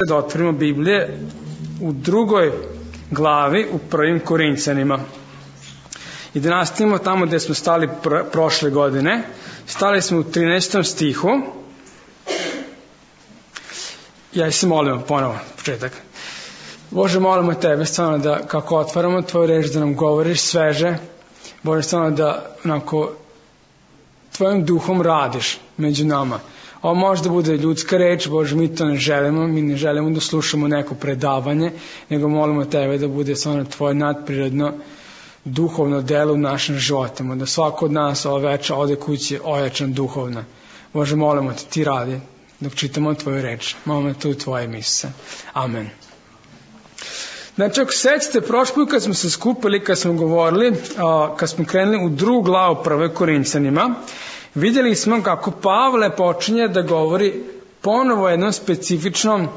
da otvorimo Biblije u 2. glavi u 1. Korinćanima i da nastavimo tamo gde smo stali prošle godine. Stali smo u 13. stihu. Ja se molimo ponovo, početak. Bože, molimo Tebe stvarno da kako otvaramo Tvoju reč, da nam govoriš sveže. Bože, stvarno da onako Tvojim duhom radiš među nama. Ovo može da bude ljudska reč, Bože, mi to ne želimo, mi ne želimo da slušamo neko predavanje, nego molimo Tebe da bude stvarno Tvoje nadprirodno duhovno delo u našim životima, da svako od nas ova večer ode kući ojačan duhovno. Bože, molimo Te, Ti radi dok čitamo Tvoju reč. Molimo Te u Tvoje misle. Amen. Znači, ako sećate, prošli put kad smo se skupili, kad smo govorili, kad smo krenuli u 2. glavu 1. Korinćanima, vidjeli smo kako Pavle počinje da govori ponovo o jednom specifičnom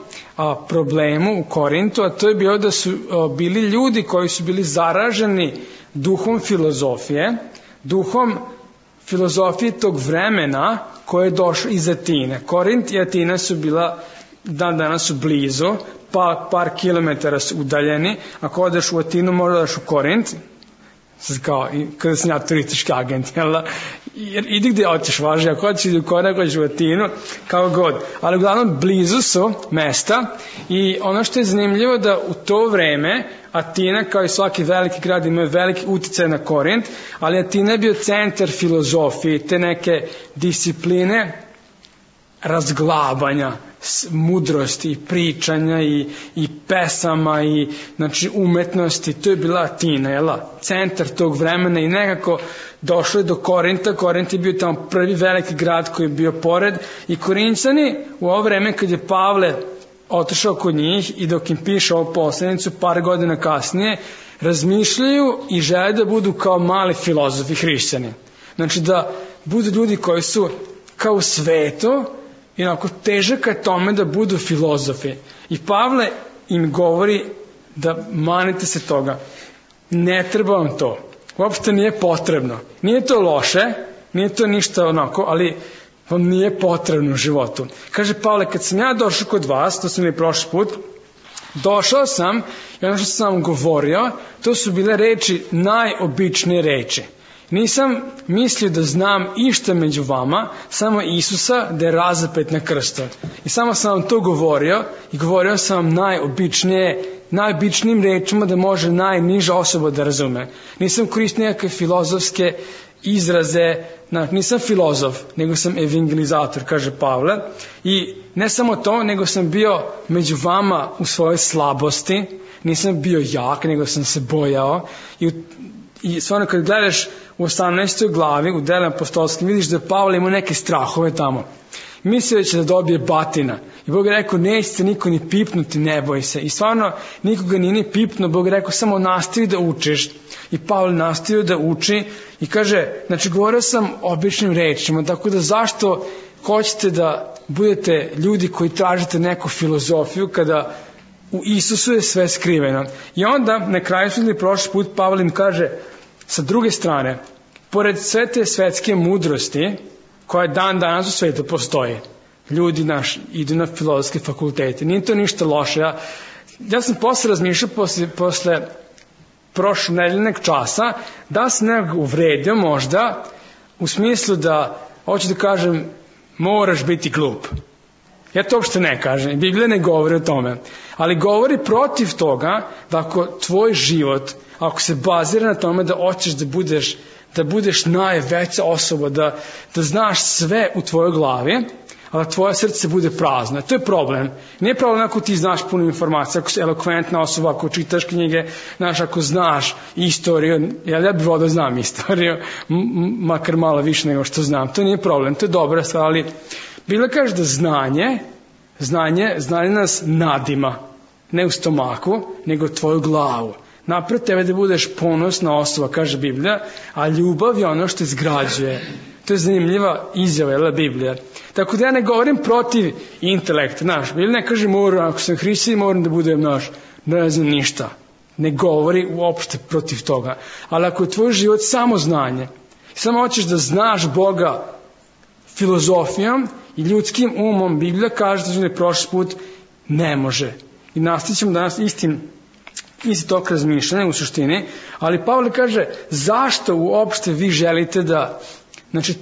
problemu u Korintu, a to je bio da su bili ljudi koji su bili zaraženi duhom filozofije tog vremena koje je došlo iz Atine. Korint i Atina su bila, danas su blizu, pa par kilometara su udaljeni. Ako odeš u Atinu, možda daš u Korint, kao kada sam ja turistički agent, jer idi gde hoćeš, važi, ako hoćeš idi u Korint, ako hoćeš u Atinu, kao god. Ali uglavnom blizu su mesta i ono što je zanimljivo da u to vreme Atina, kao i svaki veliki grad, ima veliki uticaj na Korint, ali Atina je bio centar filozofije, te neke discipline razglabanja, mudrosti i pričanja i pesama i znači umetnosti. To je bila Atina, centar tog vremena i nekako došlo je do Korinta. Korint je bio tamo prvi veliki grad koji je bio pored i Korinćani u ovo vreme kad je Pavle otišao kod njih i dok im piše ovu poslanicu par godina kasnije, razmišljaju i žele da budu kao mali filozofi hrišćani. Znači da budu ljudi koji su kao u svetu i onako težak je tome da budu filozofi. I Pavle im govori da manite se toga. Ne treba vam to. Uopšte nije potrebno. Nije to loše, nije to ništa onako, ali vam nije potrebno u životu. Kaže Pavle, kad sam ja došao kod vas, to sam i prošli put, došao sam i ono što sam vam govorio, to su bile reči, najobičnije reči. Nisam mislio da znam išta među vama, samo Isusa da je razapet na krstu. I samo sam vam to govorio i govorio sam vam najobičnijim rečima da može najniža osoba da razume. Nisam koristio nekakve filozofske izraze, nisam filozof, nego sam evangelizator, kaže Pavle. I ne samo to, nego sam bio među vama u svojoj slabosti, nisam bio jak, nego sam se bojao. I stvarno kad gledaš u 18. glavi, u Delima apostolskim, vidiš da Pavle ima neke strahove tamo. Mislio će da dobije batina. I Bog je rekao, nećete niko ni pipnuti, ne boj se. I stvarno nikoga nije ni pipnuo, Bog je rekao, samo nastavi da učiš. I Pavle nastavio da uči i kaže, znači govorio sam običnim rečima, tako da zašto hoćete da budete ljudi koji tražite neku filozofiju kada u Isusu je sve skriveno. I onda na kraju su ili prošli put Pavle im kaže, sa druge strane, pored sve te svetske mudrosti koja dan danas u svetu postoji, ljudi naši idu na filozofske fakultete, nije to ništa loše. Ja sam posle razmišljao posle prošle nedeljnog časa da sam nekako uvredio možda u smislu da hoću da kažem moraš biti glup. Ja to uopšte ne kažem, Biblija ne govori o tome, ali govori protiv toga da ako tvoj život, ako se bazira na tome da hoćeš da budeš najveća osoba, da znaš sve u tvojoj glavi, ali da tvoje srce bude prazno. To je problem. Nije problem ako ti znaš puno informacija, ako si elokventna osoba, ako čitaš knjige, ako znaš istoriju, ja bih volio da znam istoriju, makar malo više nego što znam. To nije problem, to je dobra stvar, ali Biblia kaže da znanje nas nadima, ne u stomaku, nego tvoju glavu. Napred tebe da budeš ponosna osoba, kaže Biblija, a ljubav je ono što izgrađuje. To je zanimljiva izjava, Biblija. Tako da ja ne govorim protiv intelekta, Biblija ne kaže ako sam hrišćanin moram da budem ne znam ništa. Ne govori uopšte protiv toga. Ali ako je tvoj život samo znanje, samo hoćeš da znaš Boga filozofijom i ljudskim umom, Biblija kaže, da je prošli put, Ne može. I nastavit ćemo danas isti tok razmišljanja u suštini, ali Pavle kaže zašto uopšte vi želite da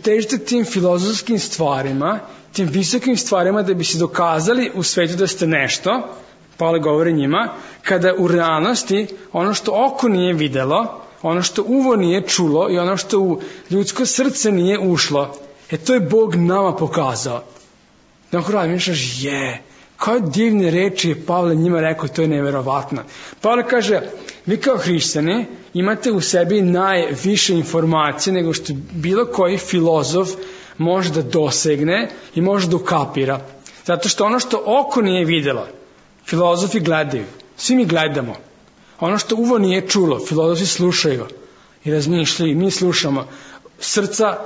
težite tim filozofskim stvarima, tim visokim stvarima da bi se dokazali u svetu da ste nešto, Pavle govori njima, kada u realnosti ono što oko nije videlo, ono što uvo nije čulo i ono što u ljudsko srce nije ušlo, to je Bog nama pokazao. Dakle, razmišljaš, koje divne reči je Pavle njima rekao, to je neverovatno. Pavle kaže, vi kao hrišćani imate u sebi najviše informacije nego što bilo koji filozof može da dosegne i može da ukapira. Zato što ono što oko nije videlo, filozofi gledaju, svi mi gledamo. Ono što uvo nije čulo, filozofi slušaju i razmišljaju, mi slušamo. Srca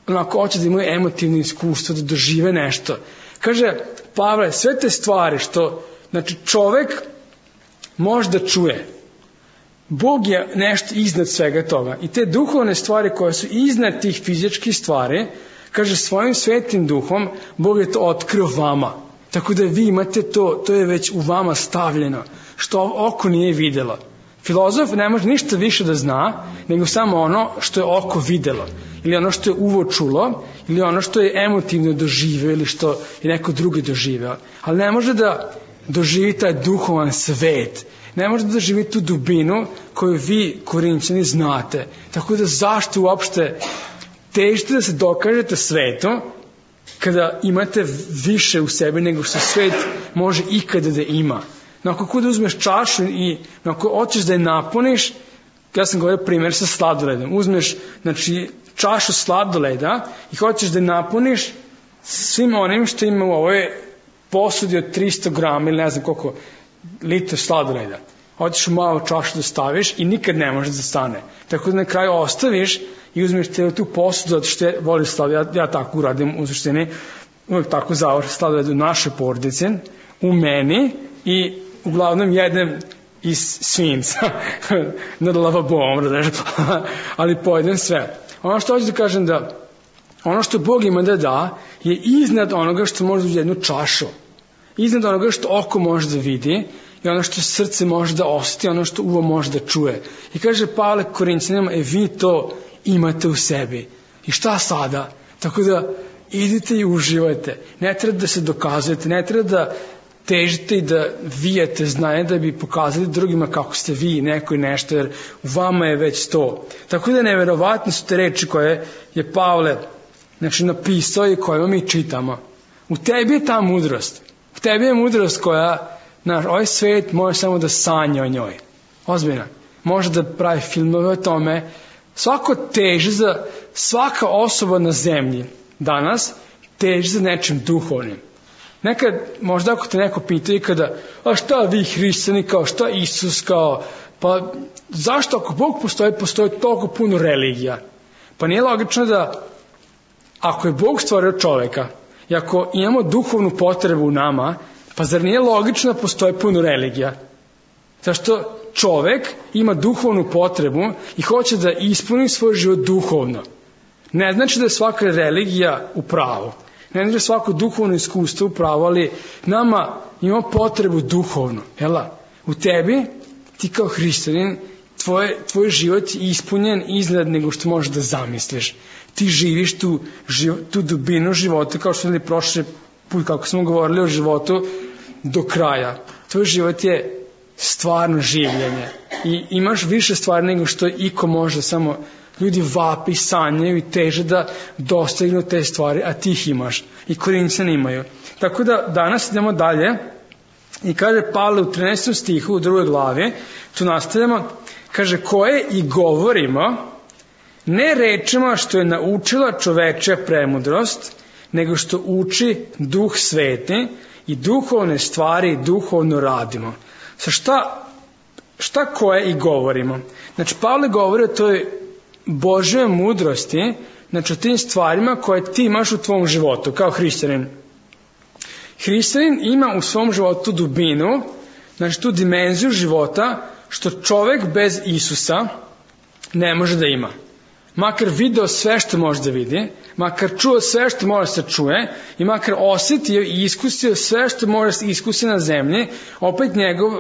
onako hoće da imaju emotivno iskustvo, da dožive nešto. Kaže Pavle, sve te stvari što, čovek može da čuje, Bog je nešto iznad svega toga. I te duhovne stvari koje su iznad tih fizičkih stvari, kaže svojim svetim duhom, Bog je to otkrio vama. Tako da vi imate to je već u vama stavljeno, što oko nije videlo. Filozof ne može ništa više da zna, nego samo ono što je oko videlo. Ili ono što je uvo čulo, ili ono što je emotivno doživeo, ili što je neko drugi doživeo. Ali ne može da doživi taj duhovan svet. Ne može da doživi tu dubinu koju vi, Korinćani, znate. Tako da zašto uopšte težite da se dokažete svetu, kada imate više u sebi nego što svet može ikada da ima. Ako da uzmeš čašu i ako hoćeš da je napuniš, ja sam govorio primjer sa sladoledom, uzmeš čašu sladoleda i hoćeš da je napuniš svim onim što ima u ovoj posudi od 300 grama ili ne znam koliko litra sladoleda. Hoćeš u malu čašu da staviš i nikad ne može da stane. Tako da na kraju ostaviš i uzmeš tu posudu, zato što voli sladoled, ja tako uradim u suštini, uvijek tako završim sladoled u našoj porodici, u meni i uglavnom jedem iz svinca nad lavabom, ali pojedem sve. Ono što hoću da kažem da ono što Bog ima da je iznad onoga što može da jednu čašu, iznad onoga što oko može da vidi i ono što srce može da osjeti, ono što uvo može da čuje. I kaže Pavle Korinćanima, vi to imate u sebi. I šta sada? Tako da idite i uživajte. Ne treba da se dokazujete, ne treba da težite i da vijete znanje da bi pokazali drugima kako ste vi neko i nešto, jer u vama je već to. Tako da neverovatne su te reči koje je Pavle napisao i koje mi čitamo. U tebi je ta mudrost. U tebi je mudrost koja, ovaj svet može samo da sanja o njoj. Ozbiljno. Može da pravi filmove o tome. Svaka osoba na zemlji danas teži za nečim duhovnim. Nekad, možda ako te neko pita i kada, a šta vi hrišćani, kao šta Isus, kao, pa zašto ako Bog postoji toliko puno religija? Pa nije logično da, ako je Bog stvorio čoveka i ako imamo duhovnu potrebu u nama, pa zar nije logično da postoji puno religija? Zašto čovek ima duhovnu potrebu i hoće da ispuni svoj život duhovno. Ne znači da je svaka religija u pravu. Ne znači da je svako duhovno iskustvo u pravu, ali nama ima potrebu duhovno. U tebi, ti kao hrišćanin, tvoj život je ispunjen iznad nego što možeš da zamisliš. Ti živiš tu dubinu života, kao što smo prošli put, kako smo govorili o životu, do kraja. Tvoj život je stvarno življenje i imaš više stvari nego što iko može, samo ljudi vapi, sanjaju i teže da dostignu te stvari, a ti ih imaš i Korinćani imaju. Tako da danas idemo dalje i kaže Pavle u 13. stihu u 2. glavi, tu nastavljamo, kaže koje i govorimo ne rečima što je naučila čovečja premudrost, nego što uči Duh Sveti i duhovne stvari duhovno radimo. Šta koje i govorimo? Pavle govori o toj Božjoj mudrosti, o tim stvarima koje ti imaš u tvom životu, kao hrišćanin. Hrišćanin ima u svom životu dubinu, tu dimenziju života, što čovek bez Isusa ne može da ima. makar video sve što može da vidi, makar čuo sve što može da se čuje i makar osetio i iskusio sve što može da se iskusi na zemlji, opet njegov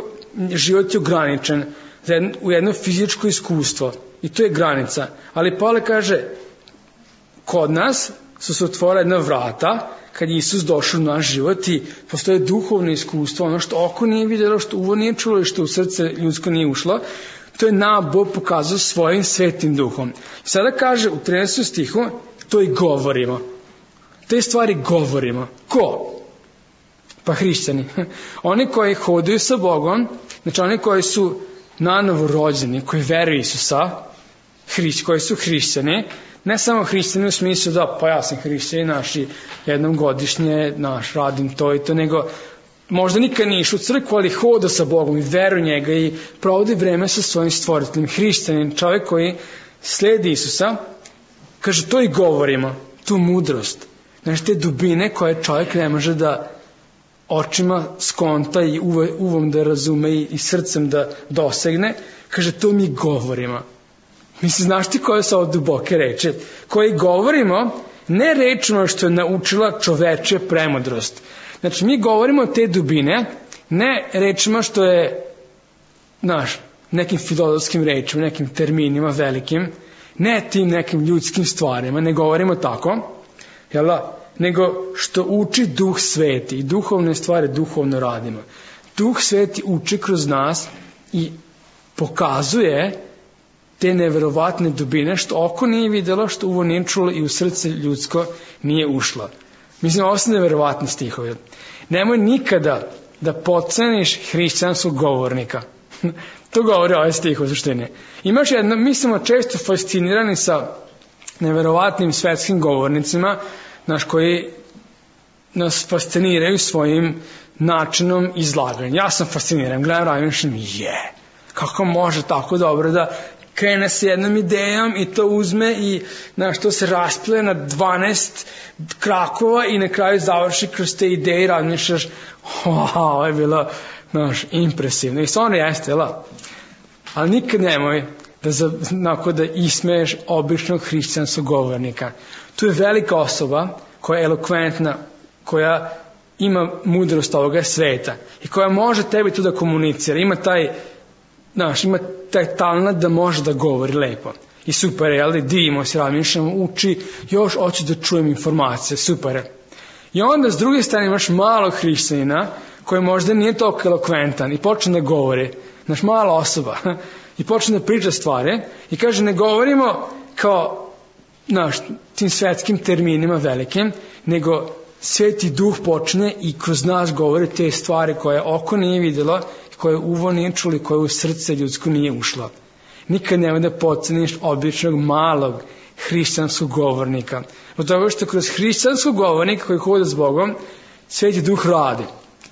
život je ograničen u jedno fizičko iskustvo. I to je granica. Ali Pavle kaže, kod nas su se otvorila jedna vrata kad je Isus došao u naš život i postoje duhovno iskustvo, ono što oko nije vidjelo, što uvo nije čulo i što u srce ljudsko nije ušlo, to je nam Bog pokazao svojim svetim duhom. I sada kaže u 13. stihu, to i govorimo. Te stvari govorimo. Ko? Pa hrišćani. Oni koji hodaju sa Bogom, znači oni koji su nanovo rođeni, koji veruju Isusa, koji su hrišćani, ne samo hrišćani u smislu da pa ja sam hrišćani, naši jednom godišnje, radim to i to, nego možda nikad nije išao u crkvu, ali hoda sa Bogom i veruje njega i provodi vreme sa svojim stvoriteljem. Hrišćanin, čovjek koji sledi Isusa, kaže to i govorimo, tu mudrost, znači te dubine koje čovjek ne može da očima skonta i uvom da razume i srcem da dosegne, kaže to mi govorimo. Mislim, znaš ti koje su ovo duboke reči? Koje govorimo ne rečima što je naučila čoveče premudrost. Znači, mi govorimo te dubine, ne rečima što je, nekim filozofskim rečima, nekim terminima velikim, ne tim nekim ljudskim stvarima, ne govorimo tako, nego što uči Duh Sveti i duhovne stvari duhovno radimo. Duh Sveti uči kroz nas i pokazuje te neverovatne dubine što oko nije vidjelo, što uvo nije čulo i u srce ljudsko nije ušlo. Mislim, ovo su neverovatni stihovi. Nemoj nikada da podceniš hrišćanskog govornika. To govori ovaj stih u suštini. Imaš jedno, mi smo često fascinirani sa neverovatnim svetskim govornicima, koji nas fasciniraju svojim načinom izlaganja. Ja sam fasciniran, gledam razmišljam, kako može tako dobro da krene s jednom idejom i to uzme i to se rasplije na 12 krakova i na kraju završi kroz te ideje i razmišljaš, ovo je bilo impresivno. I stvarno jeste, ali nikad nemoj da ismeješ običnog hrišćanskog govornika. Tu je velika osoba koja je elokventna, koja ima mudrost ovoga sveta i koja može tebi tu da komunicira. Ima taj talent da može da govori lepo. I super je, divimo se, razmišljamo, uči, još hoću da čujem informacije, super je. I onda s druge strane imaš malog hrišćanina koji možda nije toliko elokventan i počne da govori, mala osoba, i počne da priča stvari i kaže ne govorimo kao tim svetskim terminima velikim, nego Sveti Duh počne i kroz nas govori te stvari koje oko nije vidjelo, koje uvo nije čuli, koje u srce ljudsko nije ušlo. Nikad nemoj da podceniš običnog malog hrišćanskog govornika. Od toga što kroz hrišćanskog govornika koji hoda s Bogom, Sveti Duh radi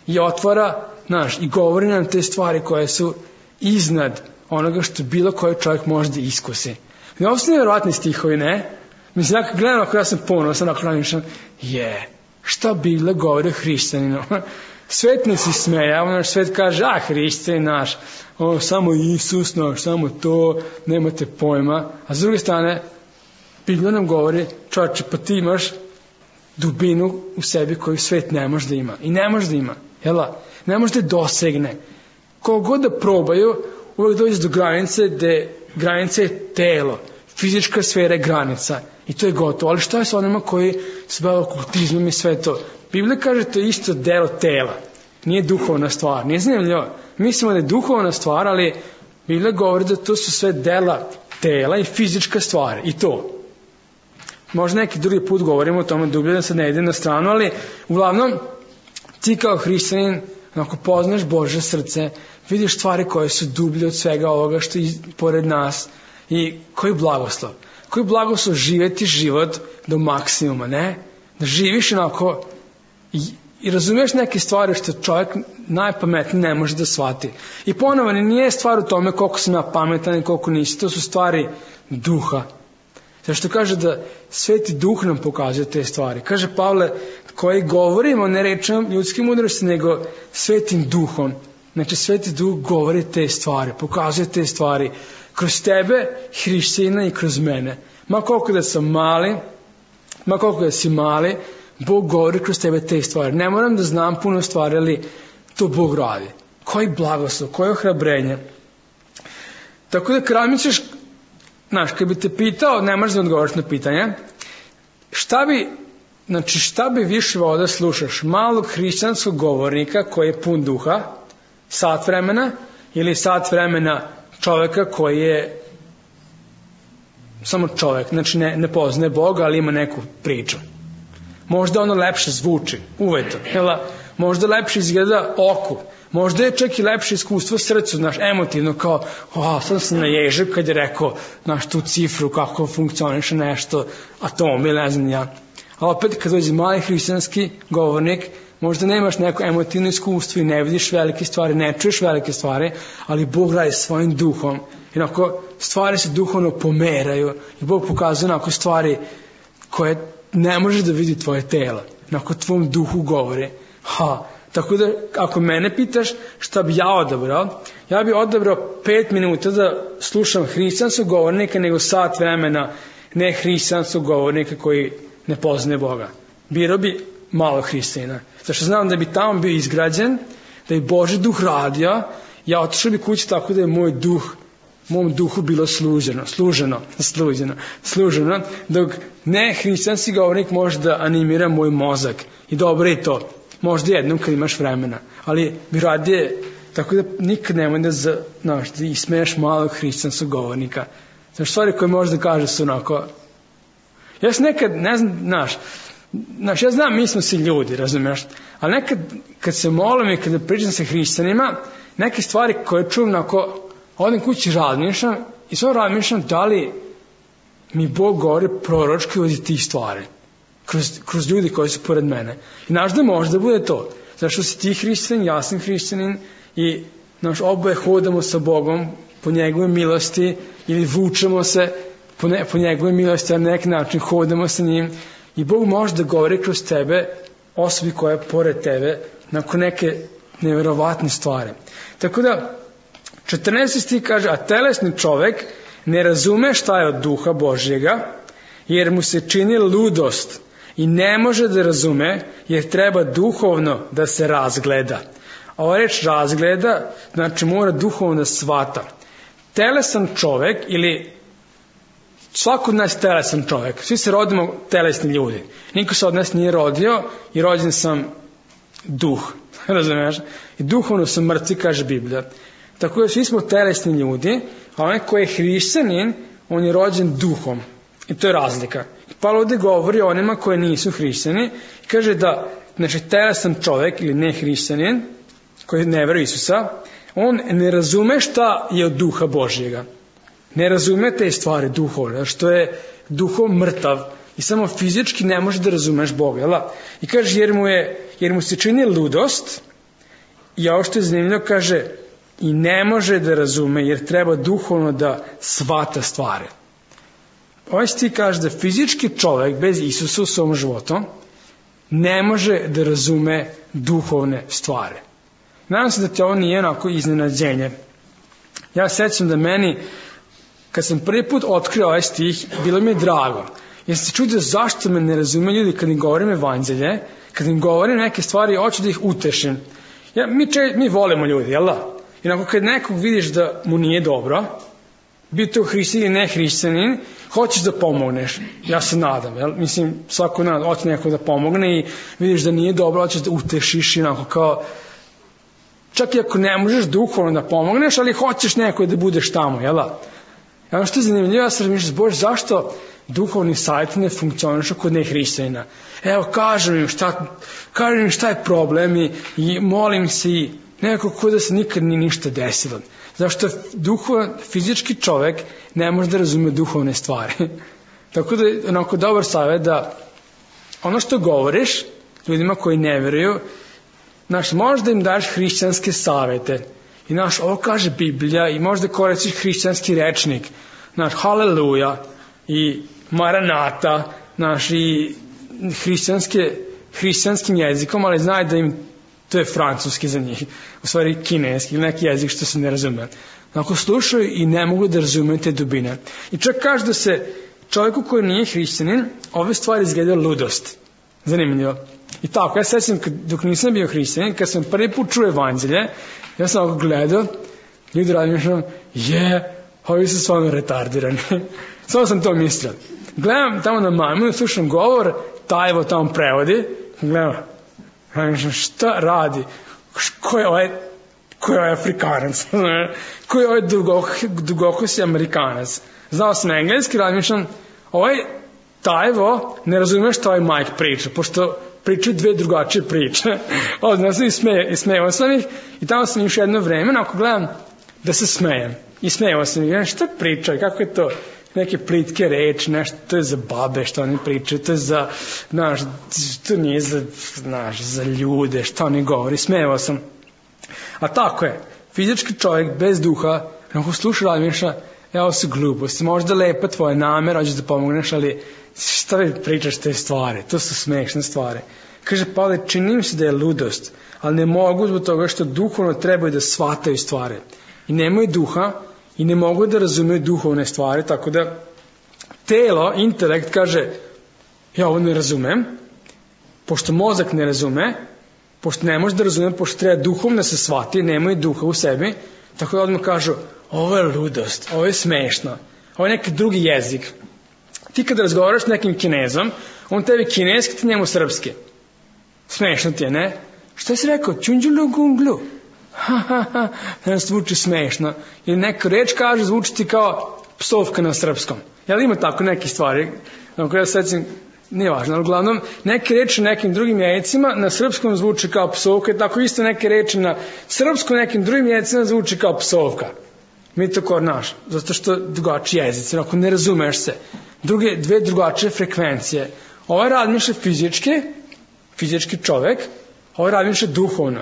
i otvara i govori nam te stvari koje su iznad onoga što bilo koji čovjek može da iskusi. I ovo su nevjerovatni stihovi, ne? Mislim, gledam ako ja sam ponosan, ako razmišljam, šta Biblia govori o hrišćaninu? Svet ne se smeja, svet kaže, hrišćanin naš, samo Isus naš, samo to, nemate pojma. A s druge strane, Biblia nam govori, čovječe, pa ti imaš dubinu u sebi koju svet ne može da ima. I ne može da ima, ne može da dosegne. Kogod da probaju, uvijek dođe do granice, gde granica je telo, fizička sfera je granica. I to je gotovo. Ali šta je sa onima koji se bave okultizmom i sve to? Biblija kaže to je isto delo tela. Nije duhovna stvar. Nije zanimljivo. Mislimo da je duhovna stvar, ali Biblija govori da to su sve dela tela i fizička stvar. I to. Možda neki drugi put govorimo o tome dublje, da sad ne idem na stranu, ali uglavnom ti kao hrišćanin, ako poznaš Božje srce, vidiš stvari koje su dublje od svega ovoga što je pored nas. I koji blagoslov? Koji blagoslov živjeti život do maksimuma, ne? Da živiš onako i razumiješ neke stvari što čovjek najpametniji ne može da shvati. I ponovo, nije stvar u tome koliko sam ja pametan i koliko nisi, to su stvari duha. Zašto kaže da Sveti Duh nam pokazuje te stvari. Kaže Pavle, koji govorimo ne rečem ljudskim mudrosti, nego Svetim Duhom. Znači Sveti Duh govori te stvari, pokazuje te stvari kroz tebe, hrišćanina, i kroz mene. Ma koliko da sam mali, ma koliko da si mali, Bog govori kroz tebe te stvari. Ne moram da znam puno stvari, ali to Bog radi. Koji blagoslov, koje ohrabrenje. Tako da kad misliš, znaš, kad bi te pitao, ne možeš da odgovoriš na pitanje, šta bi više voleo da slušaš? Malog hrišćanskog govornika koji je pun duha, sat vremena, ili sat vremena čoveka koji je samo čovek, znači ne poznaje Boga, ali ima neku priču. Možda ono lepše zvuči, uveto, možda lepše izgleda oku, možda je čak i lepše iskustvo srcu, znaš, emotivno, kao, sad sam naježio kad je rekao, znaš, tu cifru, kako funkcioniše nešto, atom, ili ne znam ja. A opet, kad dođe mali hrišćanski govornik, možda nemaš neko emotivno iskustvo i ne vidiš velike stvari, ne čuješ velike stvari, ali Bog radi svojim duhom. I onako, stvari se duhovno pomeraju i Bog pokazuje onako stvari koje ne može da vidi tvoje telo. Onako, tvom duhu govori. Tako da, ako mene pitaš šta bi ja odabrao, ja bi odabrao 5 minuta da slušam hrišćanskog govornika nego sat vremena ne hrišćanskog govornika koji ne poznaje Boga. Birao bi malo hrišćanina. Zašto znam da bi tamo bio izgrađen, da bi Božji duh radio, ja otišao bi kući tako da je mom duhu bilo služeno, dok ne hrišćanski govornik može da animira moj mozak. I dobro je to. Možda jednom kad imaš vremena. Ali bi radije, tako da nikad nemoj da ismeješ malog hrišćanskog govornika. Znaš, stvari koje možda kaže su onako. Ja sam nekad, ne znam, ja znam, mi smo svi ljudi, razumiješ, ali nekad kad se molim i kada pričam sa hrišćanima, neke stvari koje čujem onako, odim kući razmišljam i samo razmišljam da li mi Bog govori proročki od tih stvari, kroz ljudi koji su pored mene. I znaš da može da bude to, zašto si ti hrišćanin, ja sam hrišćanin i oboje hodamo sa Bogom po njegove milosti ili vučemo se po njegove milosti, na neki način hodamo sa njim i Bog može da govori kroz tebe, osobi koja je pored tebe, nakon neke nevjerovatne stvari. Tako da, 14. stih kaže, a telesni čovek ne razume šta je od duha Božjega, jer mu se čini ludost i ne može da razume, jer treba duhovno da se razgleda. A ova reč razgleda, znači mora duhovno da shvata. Telesan čovek ili svako od nas je telesan čovek. Svi se rodimo telesni ljudi. Niko se od nas nije rodio i rođen sam duh. Razumiješ? I duhovno sam mrtvi, kaže Biblija. Tako da svi smo telesni ljudi, a onaj koji je hrišćanin, on je rođen duhom. I to je razlika. I Pavle ovdje govori o onima koji nisu hrišćani i kaže da, znači, telesan čovek ili ne hrišćanin, koji ne veruje Isusa, on ne razume šta je od duha Božjega. Ne razume te stvari duhovne, što je duhom mrtav i samo fizički ne može da razumeš Boga. Jel? I kaže, jer mu se čini ludost, i ovo što je zanimljivo, kaže, i ne može da razume, jer treba duhovno da shvata stvari. Ovaj stih kaže da fizički čovjek bez Isusa u svom životu ne može da razume duhovne stvari. Nadam se da ti ovo nije onako iznenađenje. Ja sećam da meni, kad sam prvi put otkrio ovaj stih, bilo mi je drago. Jer sam se čudio zašto me ne razume ljudi kad im govorim evanđelje, kad im govorim neke stvari, hoću da ih utešim. Mi volimo ljudi, jel da? I onako kad nekog vidiš da mu nije dobro, bio to hrišćanin ili ne hrišćanin, hoćeš da pomogneš. Ja se nadam, jel? Mislim, svako hoće nekog da pomogne i vidiš da nije dobro, hoćeš da utešiš i onako kao, čak i ako ne možeš duhovno da pomogneš, ali hoćeš neko da budeš tamo, jel da? Ono što je zanimljivo, ja sam razmišljao, Bože, zašto duhovni savjet ne funkcionišu kod nehrišćanina? Evo, kažem im šta je problem i molim se i nekako kod da se nikad ni ništa desilo. Zašto fizički čovek ne može da razume duhovne stvari. Tako da je onako dobar savjet da ono što govoriš ljudima koji ne veruju, možda im daš hrišćanske savjete. I ovo kaže Biblija i možda koristiš hrišćanski rečnik. Haleluja i maranata, i hrišćanskim jezikom, ali znaj da im to je francuski za njih, u stvari kineski ili neki jezik što se ne razume. Slušaju i ne mogu da razumeju te dubine. I čak kaže da se čovjeku koji nije hrišćanin, ove stvari izgledaju ludost. Zanimljivo. I tako, ja sećam, dok nisam bio hrišćanin, kad sam prvi put čuo evanđelje, ja sam ovako gledao, ljudi razmišljam, ovi su stvarno retardirani. Samo sam to mislio. Gledam tamo na majmunu, slušam govor, Tajvo tamo prevodi, gledam, razmišljam, šta radi? Ko je ovaj Afrikanac? Ko je ovaj dugokosi Amerikanac? Znao sam engleski, razmišljam, ovaj Tajvo ne razume što ovaj Mike priča, pošto pričaju dve drugačije priče. Odnosno sam i smejao sam ih i tamo sam još jedno vreme, ako gledam da se smejem. I smejao sam ih, šta pričaju, kako je to? Neke plitke reči, nešto, to je za babe što oni pričaju, to je za, to nije za ljude, što oni govori, smejao sam. A tako je, fizički čovjek bez duha, ako sluša razmišlja, ovo su gluposti, možda lepa tvoja namera, hoćeš da pomogneš, ali šta vi pričaš te stvari, to su smešne stvari. Kaže Pavle, čini mi se da je ludost, ali ne mogu zbog toga što duhovno trebaju da shvataju stvari. I nemaju duha i ne mogu da razumeju duhovne stvari, tako da telo, intelekt kaže, ja ovo ne razumem, pošto mozak ne razume, pošto ne može da razume, pošto treba duhovno se shvati, nemaju duha u sebi, tako da odmah kažu, ovo je ludost, ovo je smešno, ovo je neki drugi jezik. Ti kad razgovaraš s nekim Kinezom, on tebi kineski, ti njemu srpski. Smešno ti je, ne? Što si rekao? Čunđulu gunglu. Zvuči smešno. Ili neka reč kaže, zvuči ti kao psovka na srpskom. Jel ima tako neke stvari? Ako ja sećam, nije važno, ali uglavnom neke reči nekim drugim jezicima na srpskom zvuči kao psovka i tako isto neke reči na srpskom nekim drugim jezicima zvuči kao psovka. Mi to kod naš, zato što drugačiji jezici, ako ne razumeš se. Dve drugačije frekvencije. Ovaj razmišlja fizički čovek, ovaj razmišlja duhovno.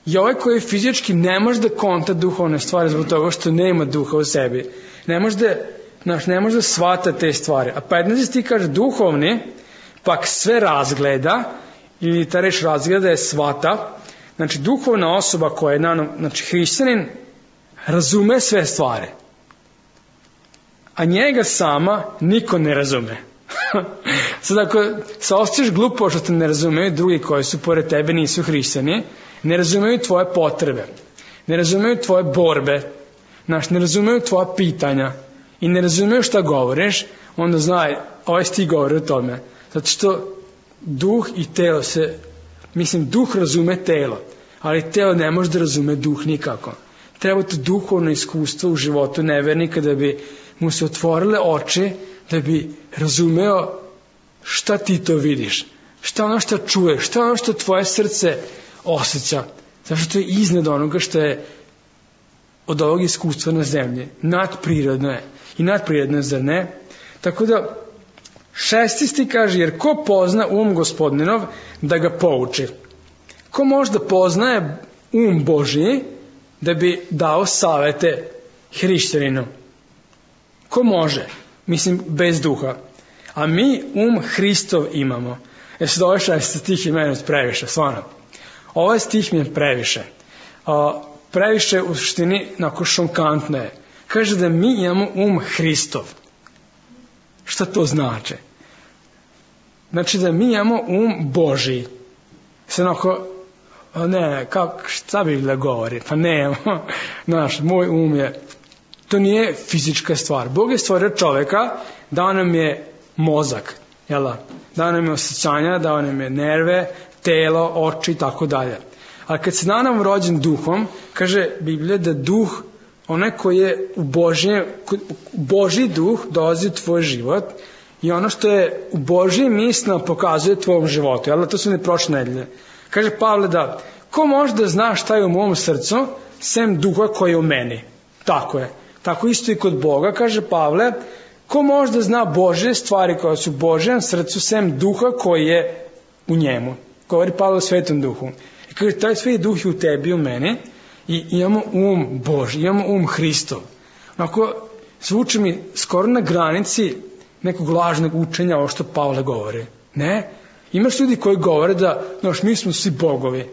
I ovaj koji fizički ne može da konta duhovne stvari zbog toga što nema duha u sebi. Ne može da shvata te stvari. A 15. ti kaže duhovni, pak sve razgleda, ili ta reč razgleda je shvata. Znači duhovna osoba koja je hrišćanin, razume sve stvari. A njega sama niko ne razume. Sad ako se osjećaš glupo što te ne razumeju drugi koji su pored tebe nisu hrišćani, ne razumeju tvoje potrebe, ne razumeju tvoje borbe, ne razumeju tvoja pitanja i ne razumeju šta govoriš, onda znaj, ovaj sti govori o tome. Zato što duh i telo duh razume telo, ali telo ne može da razume duh nikako. Treba to duhovno iskustvo u životu nevernika da bi mu se otvorile oči, da bi razumeo šta ti to vidiš, šta ono što čuješ, šta ono što tvoje srce osjeća, zato što je iznad onoga što je od ovog iskustva na zemlji. Nadprirodno je. I nadprirodno je, zar ne? Tako da 16. kaže, jer ko pozna Gospodinov da ga pouči? Ko možda poznaje Božji da bi dao savete hrišćaninu? Ko može? Bez duha. A mi Hristov imamo. Sad ovaj 6. stih je meni previše, stvarno. Ovaj stih mi je previše. Previše u suštini šokantno je. Kaže da mi imamo Hristov. Šta to znači? Znači da mi imamo Božji. Sad šta bi da govori? Pa ne, moj je, to nije fizička stvar. Bog je stvorio čoveka, dao nam je mozak, dao nam je osjećanja, dao nam je nerve, telo, oči i tako dalje. Ali kad se da nam rođen duhom, kaže Biblija da duh, onaj koji je u Božji duh dolazi u tvoj život i ono što je u Božjim mislima pokazuje tvojom životu. To su ne prošle nedelje. Kaže Pavle da, ko može da zna šta je u mom srcu, sem duha koji je u meni? Tako je. Tako isto i kod Boga, kaže Pavle, ko može da zna Božje stvari koje su u Božjem srcu, sem duha koji je u njemu? Govori Pavle o Svetom duhu. I kaže, taj Sveti duh je u tebi i u meni i imamo Božji, imamo Hristov. Onako, zvuči mi skoro na granici nekog lažnog učenja ovo što Pavle govori. Ne? Imaš ljudi koji govore da, mi smo svi bogovi.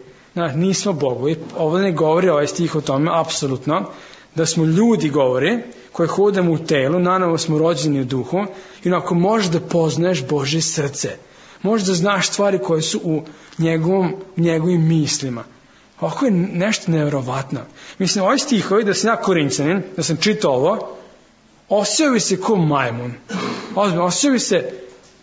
Nismo bogovi. Ovo ne govori ovaj stih o tome, apsolutno. da smo ljudi, govori, koji hodamo u telu, nanovo smo rođeni u duhu i onako možeš da poznaješ Božje srce. Možeš da znaš stvari koje su u njegovim mislima. Ovako je nešto nevjerovatno. Mislim, ovaj stihovi, da sam ja Korinćanin, da sam čitao ovo, osjećao bi se ko majmun. Osjećao bi se,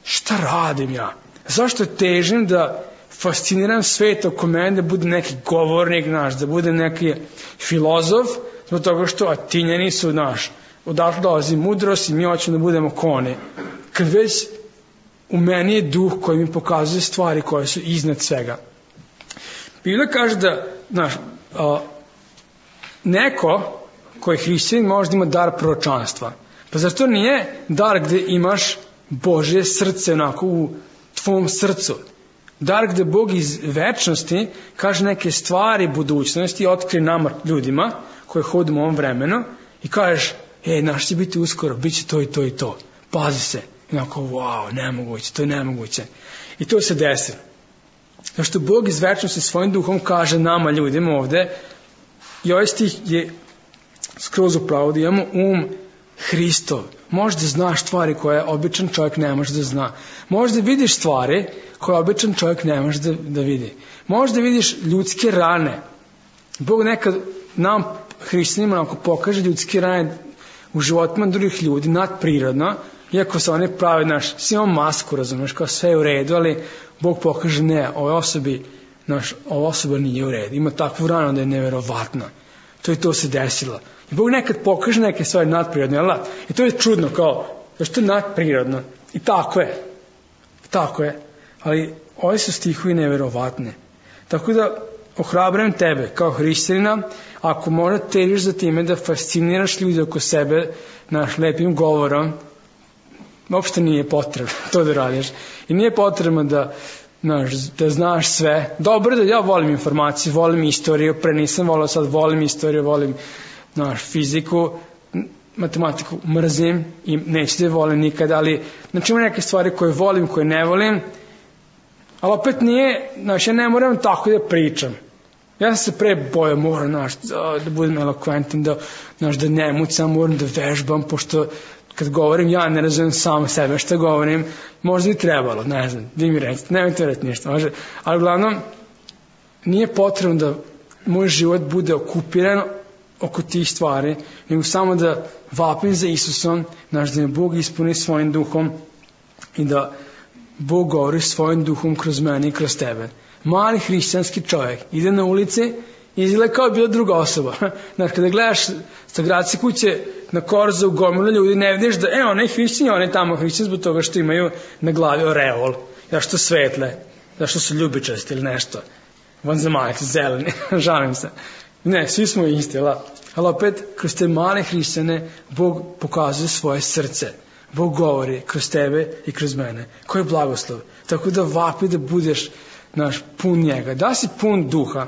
šta radim ja? Zašto težim da fasciniram svet oko mene, da bude neki govornik naš, da bude neki filozof, zbog toga što Atinjani su naš, odatle dolazi mudrost i mi hoćemo da budemo koni. Kad već u meni je duh koji mi pokazuje stvari koje su iznad svega. Biblia kaže da neko koji je hrišćanin možda ima dar proročanstva. Pa zar to nije dar gde imaš Božje srce onako u tvom srcu? Dar gde Bog iz večnosti kaže neke stvari budućnosti i otkrije nama ljudima koji hodimo u ovom vremenu i kažeš, naš će biti uskoro, bit će to i to i to. Pazi se. I onako, wow, nemoguće, to je nemoguće. I to se desi. Zato što Bog iz večnosti svojim duhom kaže nama ljudima ovde, i ovaj stih je skroz upravo da imamo Hristov. Možeš da znaš stvari koje običan čovjek ne može da zna. Možeš da vidiš stvari koje običan čovjek ne može da vidi. Možeš da vidiš ljudske rane. Bog nekad nam, hrišćanima, onako pokaže ljudske rane u životima drugih ljudi, nadprirodno, iako se oni pravi, svi imamo masku, razumeš, kao sve je u redu, ali Bog pokaže, ne, ova osoba nije u redu. Ima takvu ranu da je neverovatna. To se desilo. I Bog nekad pokaže neke stvari nadprirodne, ali i to je čudno, kao, zašto je nadprirodno? I tako je. Ali ovi su stihovi neverovatne. Tako da ohrabrujem tebe kao hrišćanina, ako možda težiš za time da fasciniraš ljudi oko sebe naš lepim govorom, uopšte nije potrebno to da radiš. I nije potrebno da znaš sve. Dobro da ja volim informacije, volim istoriju, pre nisam volio, sad volim istoriju, volim fiziku, matematiku mrzim i neću da je volim nikad, ali ima neke stvari koje volim, koje ne volim, ali opet nije, ja ne moram tako da pričam. Ja sam se pre bojao, moram da budem elokventan, da ne mucam, moram da vežbam, pošto kad govorim, ja ne razumijem sam sebe što govorim, možda bi trebalo, ne znam, vi mi recite, nemojte reći ništa, može, ali uglavnom, nije potrebno da moj život bude okupiran oko tih stvari, nego samo da vapim za Isusom, da me Bog ispuni svojim duhom i da Bog govori svojim duhom kroz mene i kroz tebe. Mali hrišćanski čovjek ide na ulici i izgleda kao bila druga osoba. Kada gledaš sa gradske kuće na korzu gomilu ljudi, ne vidiš da, on je hrišćan, on je tamo hrišćan zbog toga što imaju na glavi oreol, zašto svetle, zašto su ljubičasti ili nešto, vanzemaljci, zeleni, žalim se. Ne, svi smo isti, ali opet, kroz te male hrišćane, Bog pokazuje svoje srce. Bog govori kroz tebe i kroz mene. Koji je blagoslov? Tako da vapi da budeš pun njega. Da si pun duha.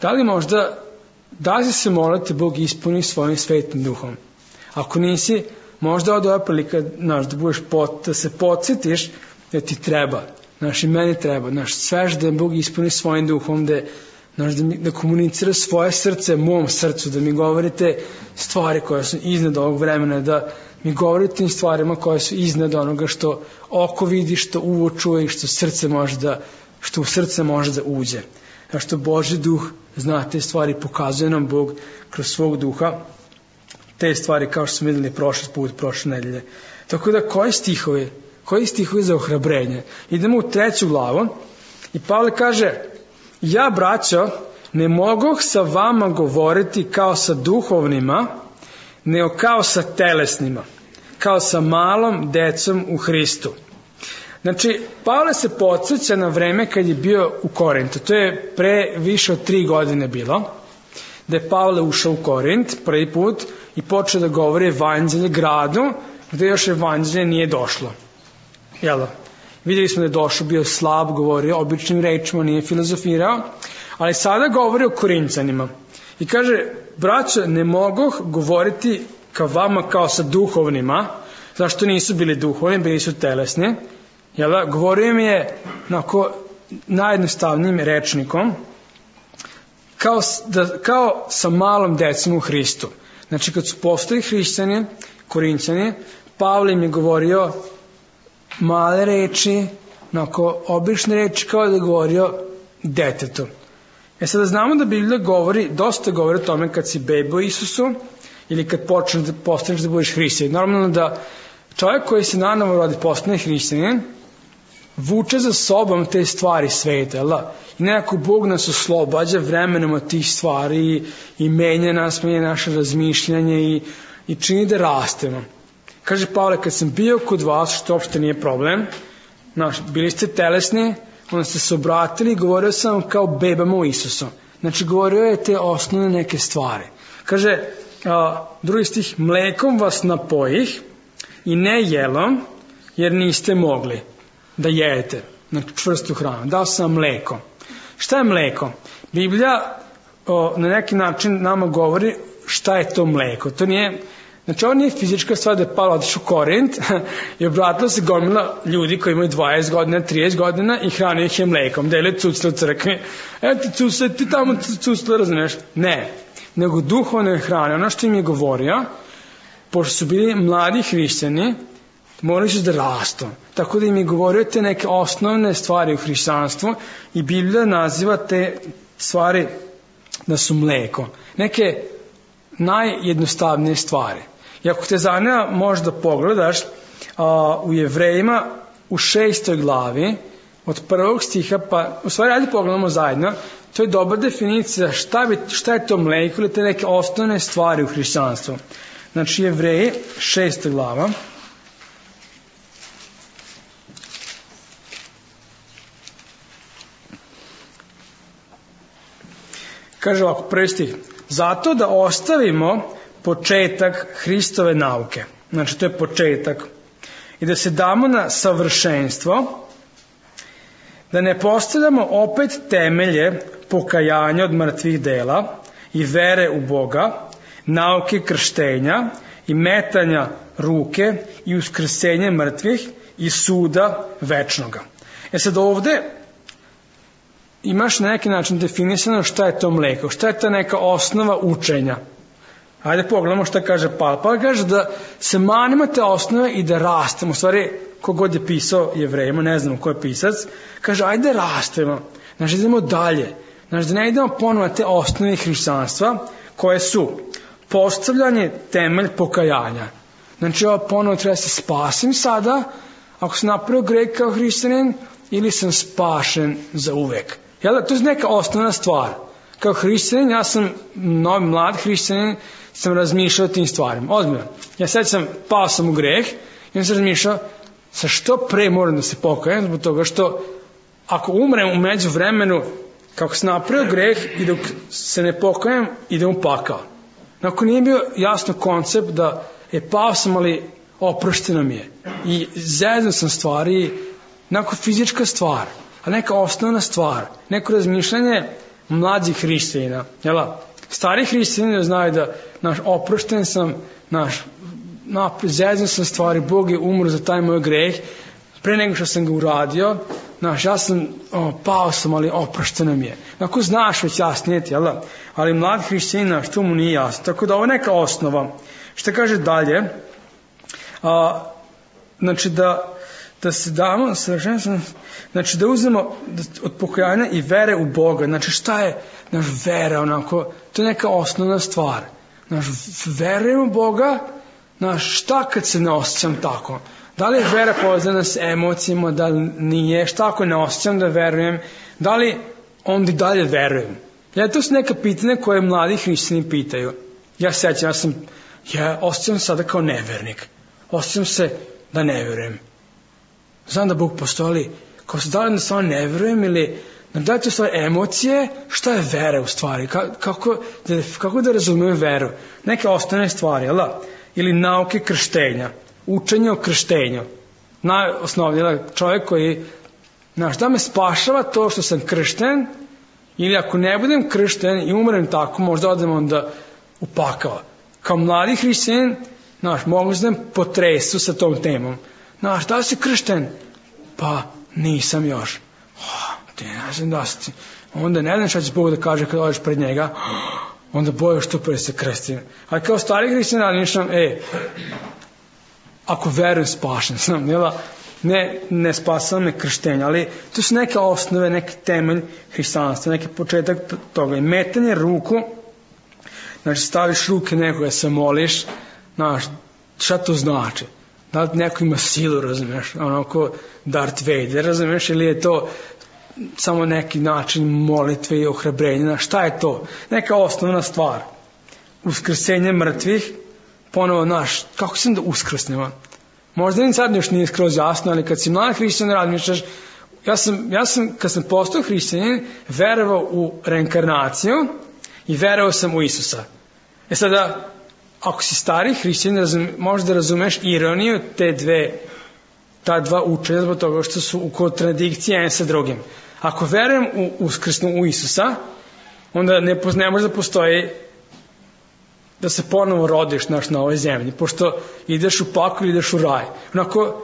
Da li možda, da li se molite Bog ispuni svojim svetim duhom? Ako nisi, možda od ova prilika, da se podsjetiš da ti treba. I meni treba. Svež da Bog ispuni svojim duhom, da komunicira svoje srce mom srcu, da mi govorite stvari koje su iznad ovog vremena, da mi govorite tim stvarima koje su iznad onoga što oko vidi, što uvo čuje i što u srce može da uđe. Što Božji duh zna te stvari, pokazuje nam Bog kroz svog duha te stvari kao što smo vidjeli prošle nedelje. Tako da koji stihovi za ohrabrenje? Idemo u 3. glavu i Pavle kaže: ja, braćo, ne mogu sa vama govoriti kao sa duhovnima, nego kao sa telesnima, kao sa malom decom u Hristu. Pavle se podsjeća na vreme kad je bio u Korintu. To je pre više od 3 godine bilo, da je Pavle ušao u Korint prvi put i počeo da govori evanđelje gradu, gde još evanđelje nije došlo. Vidjeli smo da je došao, bio slab, govorio običnim rečima, nije filozofirao, ali sada govori o Korinćanima. I kaže: braćo, ne mogu govoriti kao vama kao sa duhovnima, zašto nisu bili duhovni, bili su telesni. Govorio im je najjednostavnijim rečnikom, kao sa malom decom u Hristu. Znači, kad su postali hrišćani, Korinćani, Pavle im je govorio male reči, onako obične reči, kao da je govorio detetu. Sada znamo da Biblija dosta govori o tome kad si beba u Isusu ili kad postaneš da budeš hrišćanin. Normalno da čovjek koji se nanovo rodi postane hrišćanin, vuče za sobom te stvari sveta, jel da? I nekako Bog nas oslobađa vremenom od tih stvari i menja naše razmišljanje i čini da rastemo. Kaže Pavle, kad sam bio kod vas, što uopšte nije problem, bili ste telesni, onda ste se obratili i govorio sam kao bebama u Isusu. Znači, govorio je te osnovne neke stvari. Kaže, drugi stih, mlekom vas napojih i ne jelom, jer niste mogli da jedete, znači čvrstu hranu. Dao sam mleko. Šta je mleko? Biblija na neki način nama govori šta je to mleko. To nije, znači ovo nije fizička stvar da je Pavle otišao u Korint i obratilo se gomila ljudi koji imaju 20 godina, 30 godina i hranio ih je mlekom, delio cucle u crkvi. Eto cucle, ti tamo cucle, razumiješ? Ne, nego duhovne hrane. Ono što im je govorio, pošto su bili mladi hrišćani, morali su da rastu. Tako da im je govorio te neke osnovne stvari u hrišćanstvu i Biblija naziva te stvari da su mleko. Neke najjednostavnije stvari. I ako te zanima, možda pogledaš u Jevrejima u 6. glavi od 1. stiha, pa u stvari ajde pogledamo zajedno, to je dobra definicija šta je to mleko ili te neke osnovne stvari u hrišćanstvu. Znači Jevreji 6. glava. Kaže ovako, 1. stih. Zato da ostavimo početak Hristove nauke. Znači, to je početak. I da se damo na savršenstvo, da ne postavljamo opet temelje pokajanja od mrtvih dela i vere u Boga, nauke krštenja i metanja ruke i uskrsenje mrtvih i suda večnoga. Sad ovde imaš na neki način definisano šta je to mleko, šta je ta neka osnova učenja. Ajde pogledamo šta kaže Pavle. Pavle kaže da se manimo te osnove i da rastemo. U stvari, kogod je pisao Jevrejima, ne znam ko je pisac, kaže ajde rastemo. Znači idemo dalje. Znači da ne idemo ponovo te osnove hrišćanstva koje su postavljanje temelj pokajanja. Znači ovo ponovo treba se spasim sada, ako sam napravio greh kao hrišćanin, ili sam spašen za uvek. Jel da, to je neka osnovna stvar. Kao hrišćanin, ja sam novi mlad hrišćanin, sam razmišljao o tim stvarima. Ozbiljno. Ja sad pao sam u greh i on sam razmišljao sa što pre moram da se pokajem, zbog toga što ako umrem u međuvremenu, kako sam napravio greh i dok se ne pokajem, idem u pakao. Ako nije bio jasno koncept da pao sam, ali oprošteno mi je. I zezno sam stvari, neko fizička stvar, ali neka osnovna stvar, neko razmišljanje mlađih hrišćanina. Stari hrišćanini znaju da oprošten sam, zezno sam stvari, Bog je umro za taj moj greh, pre nego što sam ga uradio, ja sam, pao sam, ali oprošteno mi je. Ako znaš već jasnije, ali mlad hrišćanin, što mu nije jasno. Tako da ovo je neka osnova. Što kaže dalje, znači da se damo, znači da uzmemo od pokajanja i vere u Boga. Znači šta je naš vera, onako, to je neka osnovna stvar. Verujem u Boga, šta kad se ne osjećam tako? Da li je vera povezana s emocijama, da li nije, šta ako ne osjećam da verujem, da li onda i dalje verujem? To su neka pitanja koje mladi hrišćani pitaju. Ja sećam, ja osjećam sada kao nevernik. Osjećam se da ne verujem. Znam da Bog postoji, kao se da li da stvarno ne verujem ili da li to stvari emocije, šta je vera u stvari, kako da razumijem veru, neke osnovne stvari, ili nauke krštenja, učenje o krštenju, najosnovnije, čovjek koji, da me spašava to što sam kršten, ili ako ne budem kršten i umrem tako, možda odem onda u pakao. Kao mladi hrišćanin, mogu da potresu sa tom temom. Da li si kršten? Pa nisam još. Ti ne znam da si. Onda ne znam šta će Bog da kaže kad odeš pred njega, onda bojaš što pre se krsti. Ali kao stari hrišćan razmišljam, ako verujem spašen sam, ne spasava me krštenje, ali to su neke osnove, neki temelj hrišćanstva, neki početak toga. I metanje ruku, znači staviš ruke nekoga, se moliš, znaš, šta to znači? Da li neko ima silu, razumeš, onako Darth Vader, razumeš, ili je to samo neki način molitve i ohrabrenja, šta je to? Neka osnovna stvar. Uskrsenje mrtvih, ponovo naš, kako sam da uskrsnemo? Možda ni sad još nije skroz jasno, ali kad si mlad hrišćan razmišljaš, ja sam kad sam postao hrišćanin, verovao u reinkarnaciju i verovao sam u Isusa. Sada, ako si stari hrišćanin, možda razumeš ironiju ta dva učenja, zbog toga što su u kontradikciji jedan sa drugim. Ako verujem u uskrsnu u Isusa, onda ne može da postoji da se ponovo rodiš na ovoj zemlji, pošto ideš u pakao ili ideš u raj. Onako,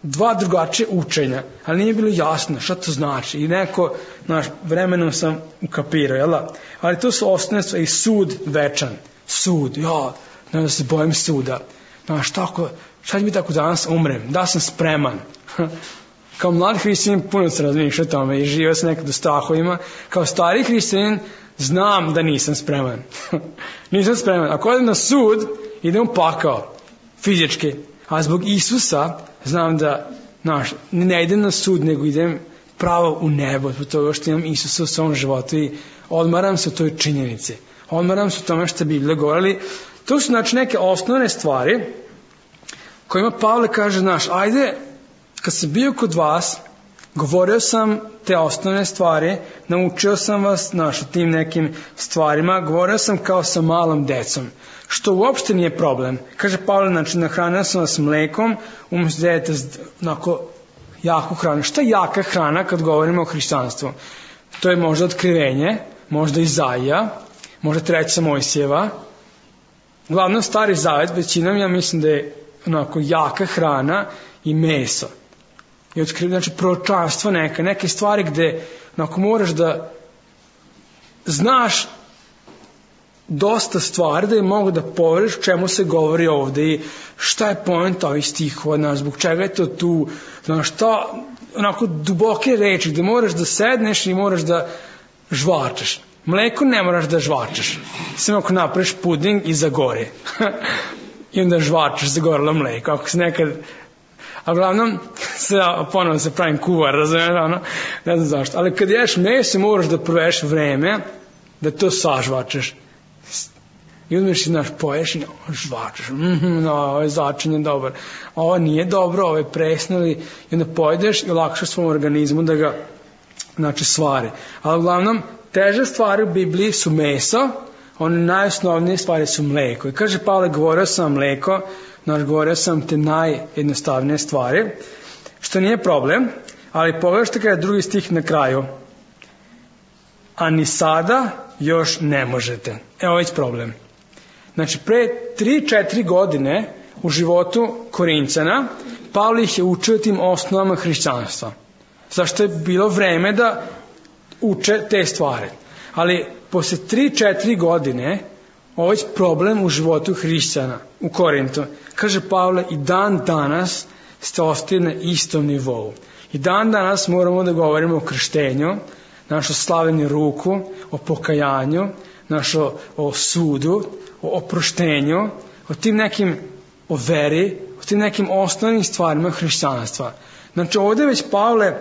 dva drugačije učenja, ali nije bilo jasno šta to znači. I vremenom sam ukapirao, jel da? Ali to su osnovne stvari, i sud večan. Sud, ne da se bojim suda. Znaš, šta će biti ako danas umrem? Da sam spreman. Kao mlad hrišćanin puno se razmišljao o tome i živio sam nekad u strahovima. Kao stari hrišćanin znam da nisam spreman. Nisam spreman. Ako odem na sud, idem u pakao. Fizički. A zbog Isusa znam da ne idem na sud, nego idem pravo u nebo. Zbog toga što imam Isusa u svom životu i odmaram se u toj činjenici. Odmaram se u tome što Biblija govori. To su neke osnovne stvari kojima Pavle kaže, ajde, kad sam bio kod vas, govorio sam te osnovne stvari, naučio sam vas o tim nekim stvarima, govorio sam kao sa malom decom, što uopšte nije problem. Kaže Pavle, nahranio sam vas mlekom, umjesto da jedete jaku hranu. Šta je jaka hrana kad govorimo o hrišćanstvu? To je možda Otkrivenje, možda Izaija, možda 3. Mojsijeva. Uglavnom Stari Zavet, većinom ja mislim da je jaka hrana i meso. I proročanstvo neke stvari gde moraš da znaš dosta stvari da je mogu da poveriš čemu se govori ovde i šta je poenta ovih stihova, zbog čega je to tu, duboke reči gde moraš da sedneš i moraš da žvačeš. Mleko ne moraš da žvačeš, samo ako napraviš puding i zagori i onda žvačeš, zagorilo mleko. Ako se nekad, a uglavnom ponovno se pravim kuvar, razumiješ, ne znam zašto, ali kad ješ meso moraš da provedeš vreme da to sažvačeš i uzmeš i poješ i žvačeš, ovo je začinje dobar, ovo nije dobro, ovo je presno, i onda pojedeš i lakšaš svom organizmu da ga svari. Ali uglavnom teže stvari u Bibliji su meso, one najosnovnije stvari su mleko. I kaže Pavle, govorio sam mleko, govorio sam te najjednostavnije stvari, što nije problem, ali pogledaj što kaže drugi stih na kraju. A ni sada još ne možete. Evo već problem. Pre 3-4 godine u životu Korincana Pavle ih je učio tim osnovama hrišćanstva. Zašto je bilo vreme da uče te stvari. Ali posle 3-4 godine ovo je problem u životu hrišćana u Korintu. Kaže Pavle, i dan danas ste ostali na istom nivou. I dan danas moramo da govorimo o krštenju, našo slavljenju ruku, o pokajanju, o sudu, o oproštenju, o veri, o tim nekim osnovnim stvarima hrišćanstva. Ovdje već Pavle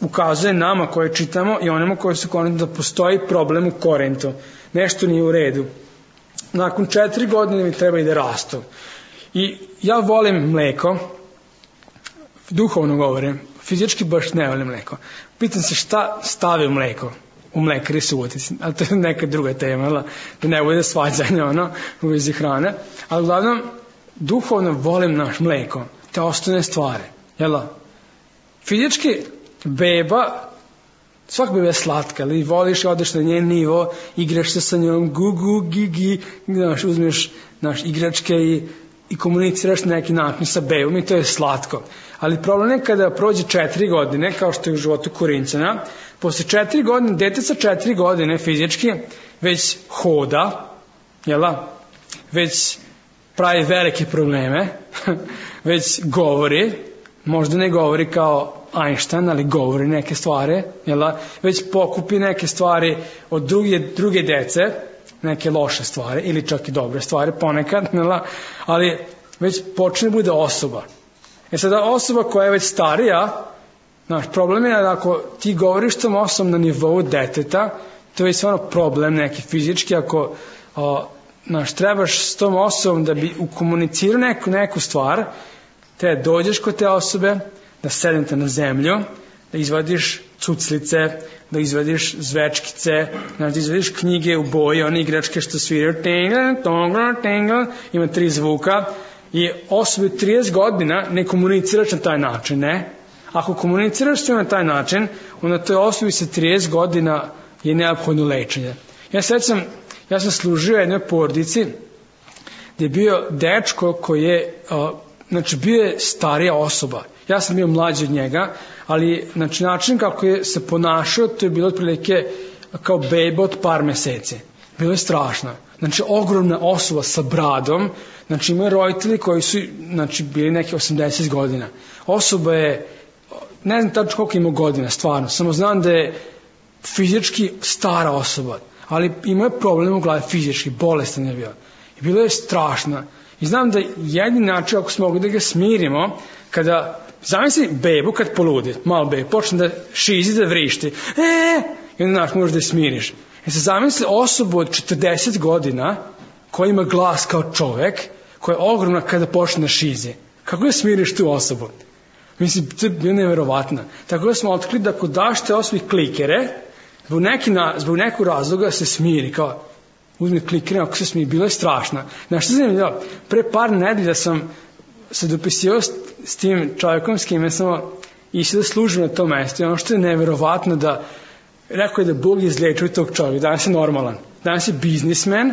ukazuje nama koje čitamo i onima koji su Korintu da postoji problem u Korintu. Nešto nije u redu. Nakon 4 godine mi treba i da rastu. I ja volim mleko, duhovno govorim, fizički baš ne volim mleko. Pitam se šta stavi u mleko, u mlekari Subotici, ali to je neka druga tema, da ne bude svađanja u vezi hrane, ali uglavnom duhovno volim naš mleko, te osnovne stvari, fizički beba, svak beba je slatka, ali voliš i odeš na njen nivo, igraš se sa njom, gugu, gigi, uzmeš igračke i i komuniciraš na neki način sa bebom i to je slatko. Ali problem je kada prođe 4 godine, kao što je u životu Korinćana, posle 4 godine, dete sa 4 godine fizički već hoda, već pravi velike probleme, već govori, možda ne govori kao Einstein, ali govori neke stvari, već pokupi neke stvari od druge dece, neke loše stvari ili čak i dobre stvari ponekad, ali već počne bude osoba. Sada osoba koja je već starija, naš problem je da ako ti govoriš tom osobom na nivou deteta, to je stvarno problem neki fizički, ako trebaš s tom osobom da bi ukomunicirao neku stvar, te dođeš kod te osobe, da sednete na zemlju, da izvadiš cuclice, da izvadiš zvečkice, da izvadiš knjige u boji, one igračke što sviraju, ima 3 zvuka, i osobi 30 godina ne komuniciraš na taj način, ne? Ako komuniciraš na taj način, onda toj osobi sa 30 godina je neophodno lečenje. Ja sam služio jednoj porodici gdje je bio dečko koji je, bio je starija osoba. Ja sam bio mlađi od njega, ali način kako je se ponašao, to je bilo otprilike kao beba od par meseci. Bilo je strašno. Ogromna osoba sa bradom, imaju roditelji koji su, bili neki 80 godina. Osoba je, ne znam tačno koliko ima godina, stvarno, samo znam da je fizički stara osoba, ali imao je problem u glavi fizički, bolestan je bio. I bilo je strašno. I znam da jedini način, ako smo mogli da ga smirimo, kada, zamisli bebu kad poludi, malo bebu, počne da šizi, da vrišti, i onda možeš da je smiriš. Zamisli osobu od 40 godina koja ima glas kao čovek, koja je ogromna kada počne da šizi. Kako da smiriš tu osobu? Mislim, to je bilo neverovatno. Tako da smo otkrili da ako daš te osobi klikere, zbog nekog razloga se smiri, kao uzmi klikere, ako se smiri, bilo je strašno. Znaš što sam vidio? Pre par nedelja sam se dopisio s tim čovjekom s kime sam išao da služim na tom mestu. I ono što je neverovatno da rekao je da Bog izlečuje tog čovjeka, danas je normalan. Danas je biznismen,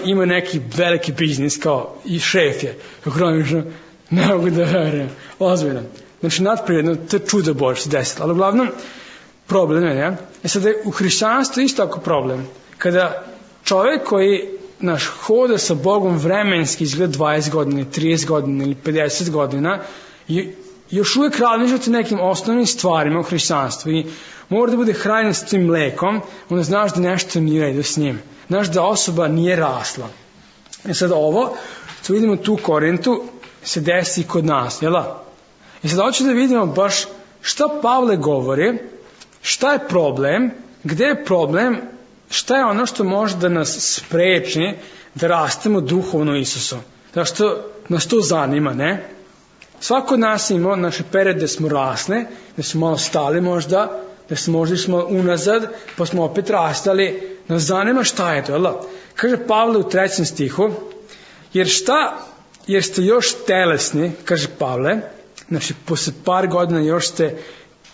ima neki veliki biznis kao i šef je. Kako ne mogu da verujem. Ozbiljno. Nadprirodno, to je čudo Bože se desilo. Ali uglavnom, problem je, sad je u hrišćanstvu isto tako problem. Kada čovjek koji hoda sa Bogom vremenski izgleda 20 godina, 30 godina ili 50 godina, još uvijek razmišljate nekim osnovnim stvarima u hrišćanstvu i mora da bude hranjen s tim mlekom, onda znaš da nešto nije redu s njim. Znaš da osoba nije rasla. Sad ovo, što vidimo tu u Korintu, se desi i kod nas, I sad hoću da vidimo baš šta Pavle govori, šta je problem, gde je problem, šta je ono što može da nas spreči da rastemo duhovno Isusu. Zašto nas to zanima, ne? Svako od nas ima naše periode da smo rasli, da smo malo stali možda, da smo možda išli unazad, pa smo opet rastali. Nas zanima šta je to, Kaže Pavle u 3. stihu, jer ste još telesni, kaže Pavle, posle par godina još ste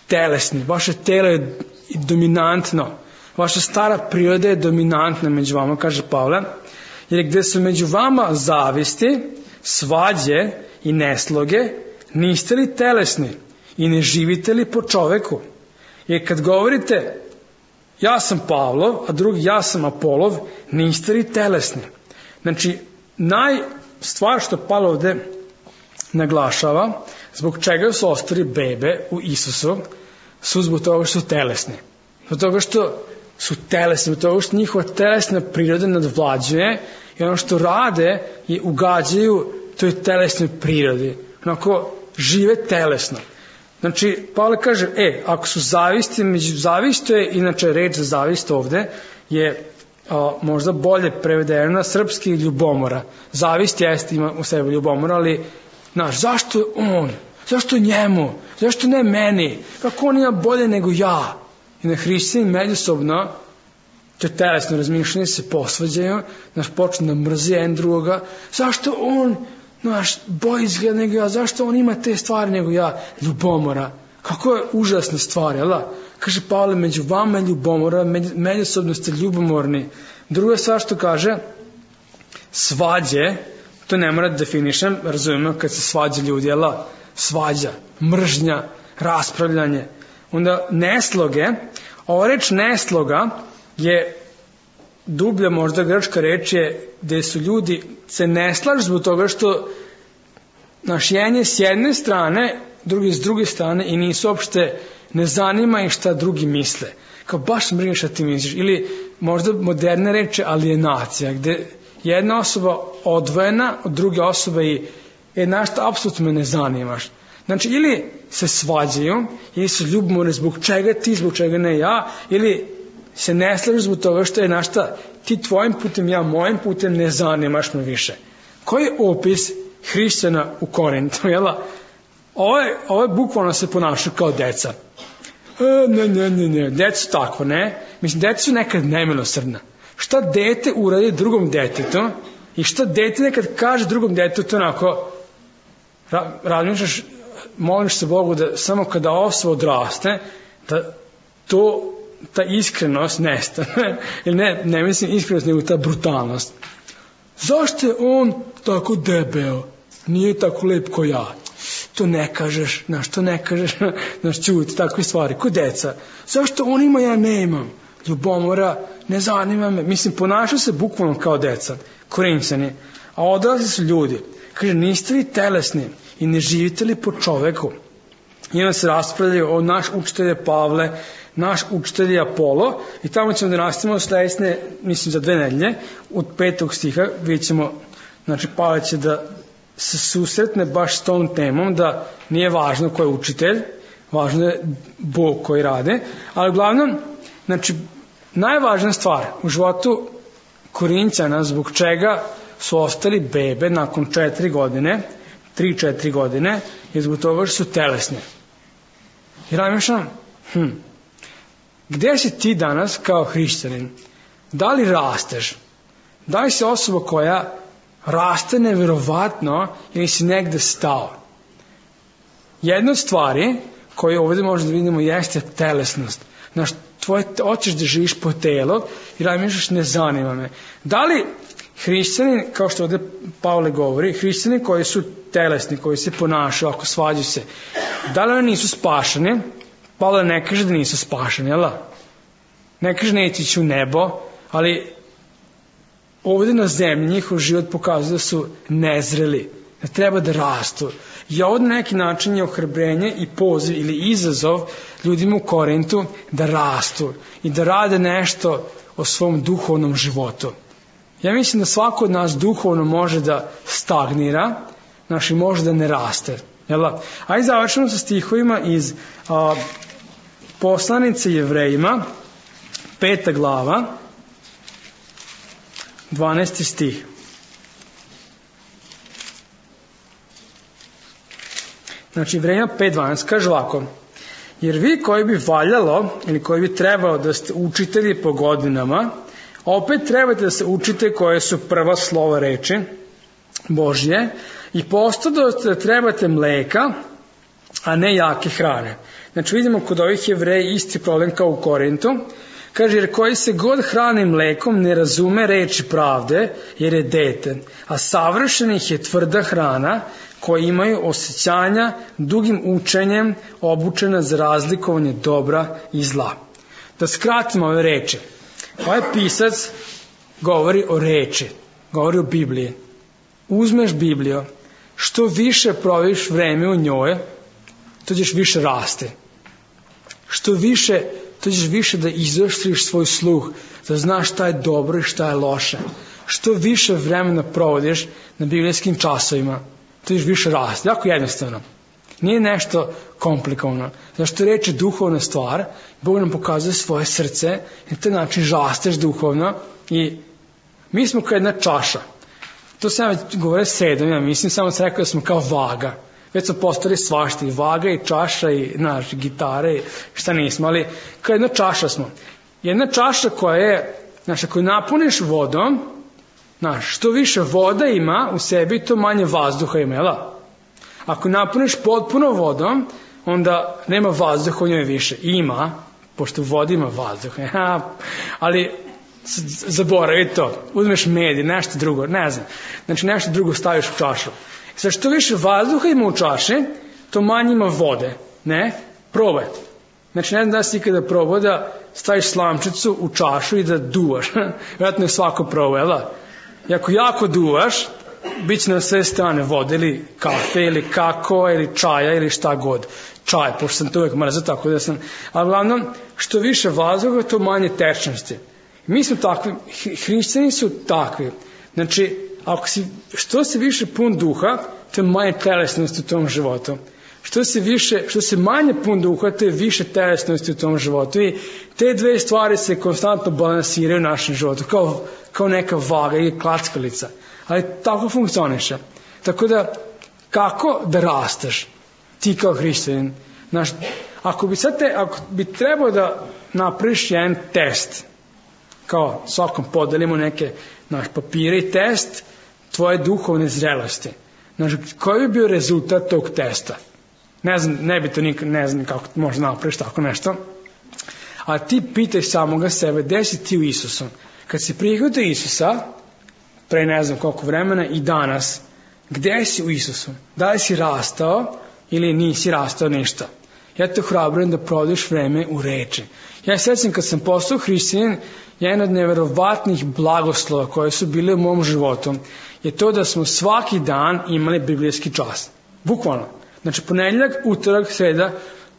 telesni, vaše telo je dominantno, vaša stara priroda je dominantna među vama, kaže Pavle, jer gde su među vama zavisti, svađe i nesloge, niste li telesni i ne živite li po čoveku? Jer kad govorite ja sam Pavlov, a drugi ja sam Apolov, niste li telesni? Stvar što Pavle ovde naglašava, zbog čega su ostali bebe u Isusu, su zbog toga što su telesni. Zbog toga što su telesni, zbog toga što njihova telesna priroda nadvlađuje i ono što rade je ugađaju toj telesnoj prirodi. Žive telesno. Pavle kaže, ako su zavisti, zavisto je, inače reč za zavist ovde je možda bolje prevedeno na srpski ljubomora. Zavist jeste, ima u sebi ljubomora, ali zašto on? Zašto njemu? Zašto ne meni? Kako on ima bolje nego ja? I na hrišćani međusobno to telesno razmišljanje se posvađaju, počne da mrzi jedan drugoga. Zašto on bolje izgleda nego ja? Zašto on ima te stvari nego ja? Ljubomora. Kako je užasna stvar, Kaže Pavle, među vama je ljubomora, međusobno ste ljubomorni. Druga stvar što kaže, svađe, To ne mora da definišem, razumemo kad se svađa ljudi, svađa, mržnja, raspravljanje. Onda nesloge, ova reč nesloga je dublja možda grčka reč je gde su ljudi se ne slažu zbog toga što naš jedan je s jedne strane, drugi s druge strane i nisu uopšte ne zanima i šta drugi misle. Kao baš mrzim šta ti misliš. Ili možda moderne reče alienacija, gde jedna osoba odvojena od druge osobe i našta apsolutno me ne zanimaš. Znači, ili se svađaju, ili se ljubomorni zbog čega ti, zbog čega ne ja, ili se ne slažu zbog toga što je našta ti tvojim putem, ja mojim putem, ne zanimaš me više. Koji je opis hrišćana u Korintu, jela? Ovo je bukvalno se ponašaju kao deca. Ne, deca su takvo, ne? Mislim, deca su nekad nemilosrdna. Šta dete uradi drugom detetu i šta dete nekad kaže drugom detetu onako, razmišljaš, moliš se Bogu da samo kada osoba odraste, da ta iskrenost nestane. Ili ne mislim iskrenost, nego ta brutalnost. Zašto je on tako debeo? Nije tako lep ko ja. To ne kažeš, čuti, takve stvari, ko deca. Zašto on ima, ja ne imam? Ljubomora, ne zanima me. Mislim, ponašaju se bukvalno kao deca, Korinćani. A odrasli su ljudi. Kaže, niste li telesni i ne živite li po čoveku? I onda se raspravljaju o naš učitelj je Pavle, naš učitelj je Apolo, i tamo ćemo da nastavimo sledeće, mislim za 2 nedelje, od 5. stiha, vidjet ćemo, znači Pavle će da se susretne baš s tom temom, da nije važno ko je učitelj, važno je Bog koji rade, ali uglavnom, znači, najvažnija stvar u životu Korinćana, zbog čega su ostali bebe nakon 4 godine, 3-4 godine, je zbog toga što su telesne. I razmišljam, gde si ti danas kao hrišćanin? Da li rasteš? Da li si osoba koja raste neverovatno ili si negde stao? Jedna od stvari koju ovdje možemo da vidimo jeste telesnost. Znaš, hoćeš da živiš po telu i razmišljaš, ne zanima me. Da li hrišćani, kao što ovdje Pavle govori, hrišćani koji su telesni, koji se ponašaju, ako svađaju se, da li oni nisu spašeni? Pavle ne kaže da nisu spašeni, jel? Ne kaže neće ići u nebo, ali ovdje na zemlji njihov život pokazuje da su nezreli, da treba da rastu. I ovdje na neki način je ohrabrenje i poziv ili izazov ljudima u Korintu da rastu i da rade nešto o svom duhovnom životu. Ja mislim da svako od nas duhovno može da stagnira, znači može da ne raste. Ajde završimo sa stihovima iz poslanice Jevrejima, 5. glava, 12. stih. Znači Jevrejima 5.12 kaže ovako: jer vi koji bi valjalo ili koji bi trebalo da ste učitelji po godinama, opet trebate da se učite koje su prva slova reči Božje i posto da trebate mleka, a ne jake hrane. Znači vidimo kod ovih Jevreja isti problem kao u Korintu. Kaže, jer koji se god hrani mlekom ne razume reči pravde, jer je dete, a savršenih je tvrda hrana koji imaju osjećanja dugim učenjem obučena za razlikovanje dobra i zla. Da skratimo ove reči. Ovaj pisac govori o reči, govori o Bibliji. Uzmeš Bibliju, što više proviš vreme u njoj, to ćeš više rasti. Što više, to ćeš više da izoštriš svoj sluh, da znaš šta je dobro i šta je loše. Što više vremena provodiš na biblijskim časovima, to ćeš više rasti. Jako jednostavno. Nije nešto komplikovano. Zašto reč je duhovna stvar, Bog nam pokazuje svoje srce i na taj način rasteš duhovno i mi smo kao jedna čaša. To sam ja govorio sredom, ja mislim, samo sam rekao da smo kao vaga. Već smo postali svašta, i vaga, i čaša, i gitare, i šta nismo, ali kao jedna čaša smo. Jedna čaša koja je, ako napuniš vodom, što više voda ima u sebi, to manje vazduha ima, jel? Ako napuniš potpuno vodom, onda nema vazduha u njoj više. Ima, pošto u vodi ima vazduha. Ali zaboravi to, uzmeš med i nešto drugo, ne znam, znači nešto drugo staviš u čašu. Sad što više vazduha ima u čaši, to manje ima vode, ne? Probaj. Znači ne znam da si ikada probao da staviš slamčicu u čašu i da duvaš. Vjerojatno je svako probao, jel da? I ako jako duvaš, bit će na sve strane vode ili kafe ili kakao ili čaja ili šta god. Čaj, pošto sam to uvijek mrzao, tako da sam... Ali uglavnom, što više vazduha, to manje tečnosti. Mi smo takvi, hrišćani su takvi. Znači, što se više pun duha, to je manje telesnosti u tom životu. Što se manje pun duha, to je više telesnosti u tom životu. I te dve stvari se konstantno balansiraju u našem životu, kao neka vaga ili klackalica. Ali tako funkcioniše. Tako da, kako da rasteš ti kao hrišćanin? Ako bi trebao da napraviš jedan test, kao svakom podelimo neke papire i test tvoje duhovne zrelosti. Koji bi bio rezultat tog testa? Ne znam, ne znam kako možda napraviš tako nešto. A ti pitaj samoga sebe, gde si ti u Isusu? Kad si prihvatio Isusa, pre ne znam koliko vremena i danas, gde si u Isusu? Da li si rastao ili nisi rastao ništa? Ja te ohrabrujem da provodiš vreme u reči. Ja sećam kad sam postao hrišćanin, jedan od neverovatnih blagoslova koje su bile u mom životu je to da smo svaki dan imali biblijski čas. Bukvalno. Znači ponedjeljak, utorak, sreda,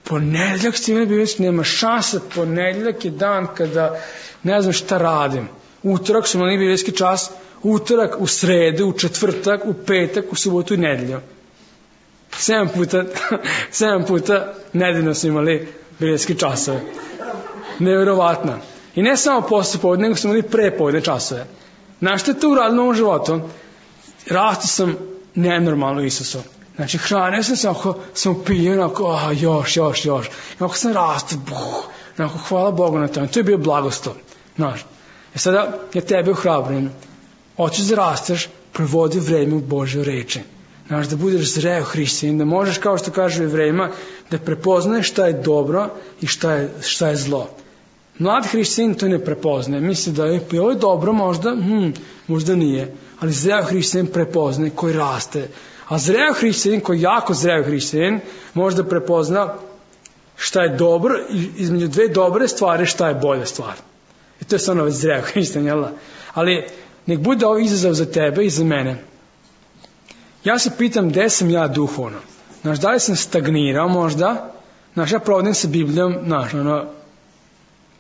ponedjeljak ste imali biblijski, nema šanse, ponedjeljak je dan kada ne znam šta radim. Utorak smo imali biblijski čas, utorak, u sredu, u četvrtak, u petak, u subotu i nedelju. 7 puta nedeljno smo imali biblijski časove. Neverovatno. I ne samo posle podne, nego smo imali prepodne časove. Znaš što je to uradilo u mom životu? Rastao sam nenormalno u Isusu. Znači, hranio sam se, ako sam pio, još. I ako sam rastao, hvala Bogu na tome. To je bio blagoslov. Znaš. I sada ja tebe ohrabrujem. Hoćeš da rasteš, provodi vreme u Božjoj reči. Znaš, da budeš zreo hrišćanin, da možeš, kao što kažu Jevrejima, da prepoznaješ šta je dobro i šta je zlo. Mlad hrišćanin to ne prepoznaje. Misli da je ovo dobro možda, možda nije. Ali zreo hrišćanin prepoznaje koji raste. A zreo hrišćanin, koji jako zreo hrišćanin, možda prepozna šta je dobro i između dve dobre stvari šta je bolja stvar. I to je stvarno već zreo hrišćanin, jel da? Ali nek bude ovo izazov za tebe i za mene. Ja se pitam gde sam ja duhovno. Znaš, da li sam stagnirao možda? Znaš, ja provodim sa Biblijom, znaš,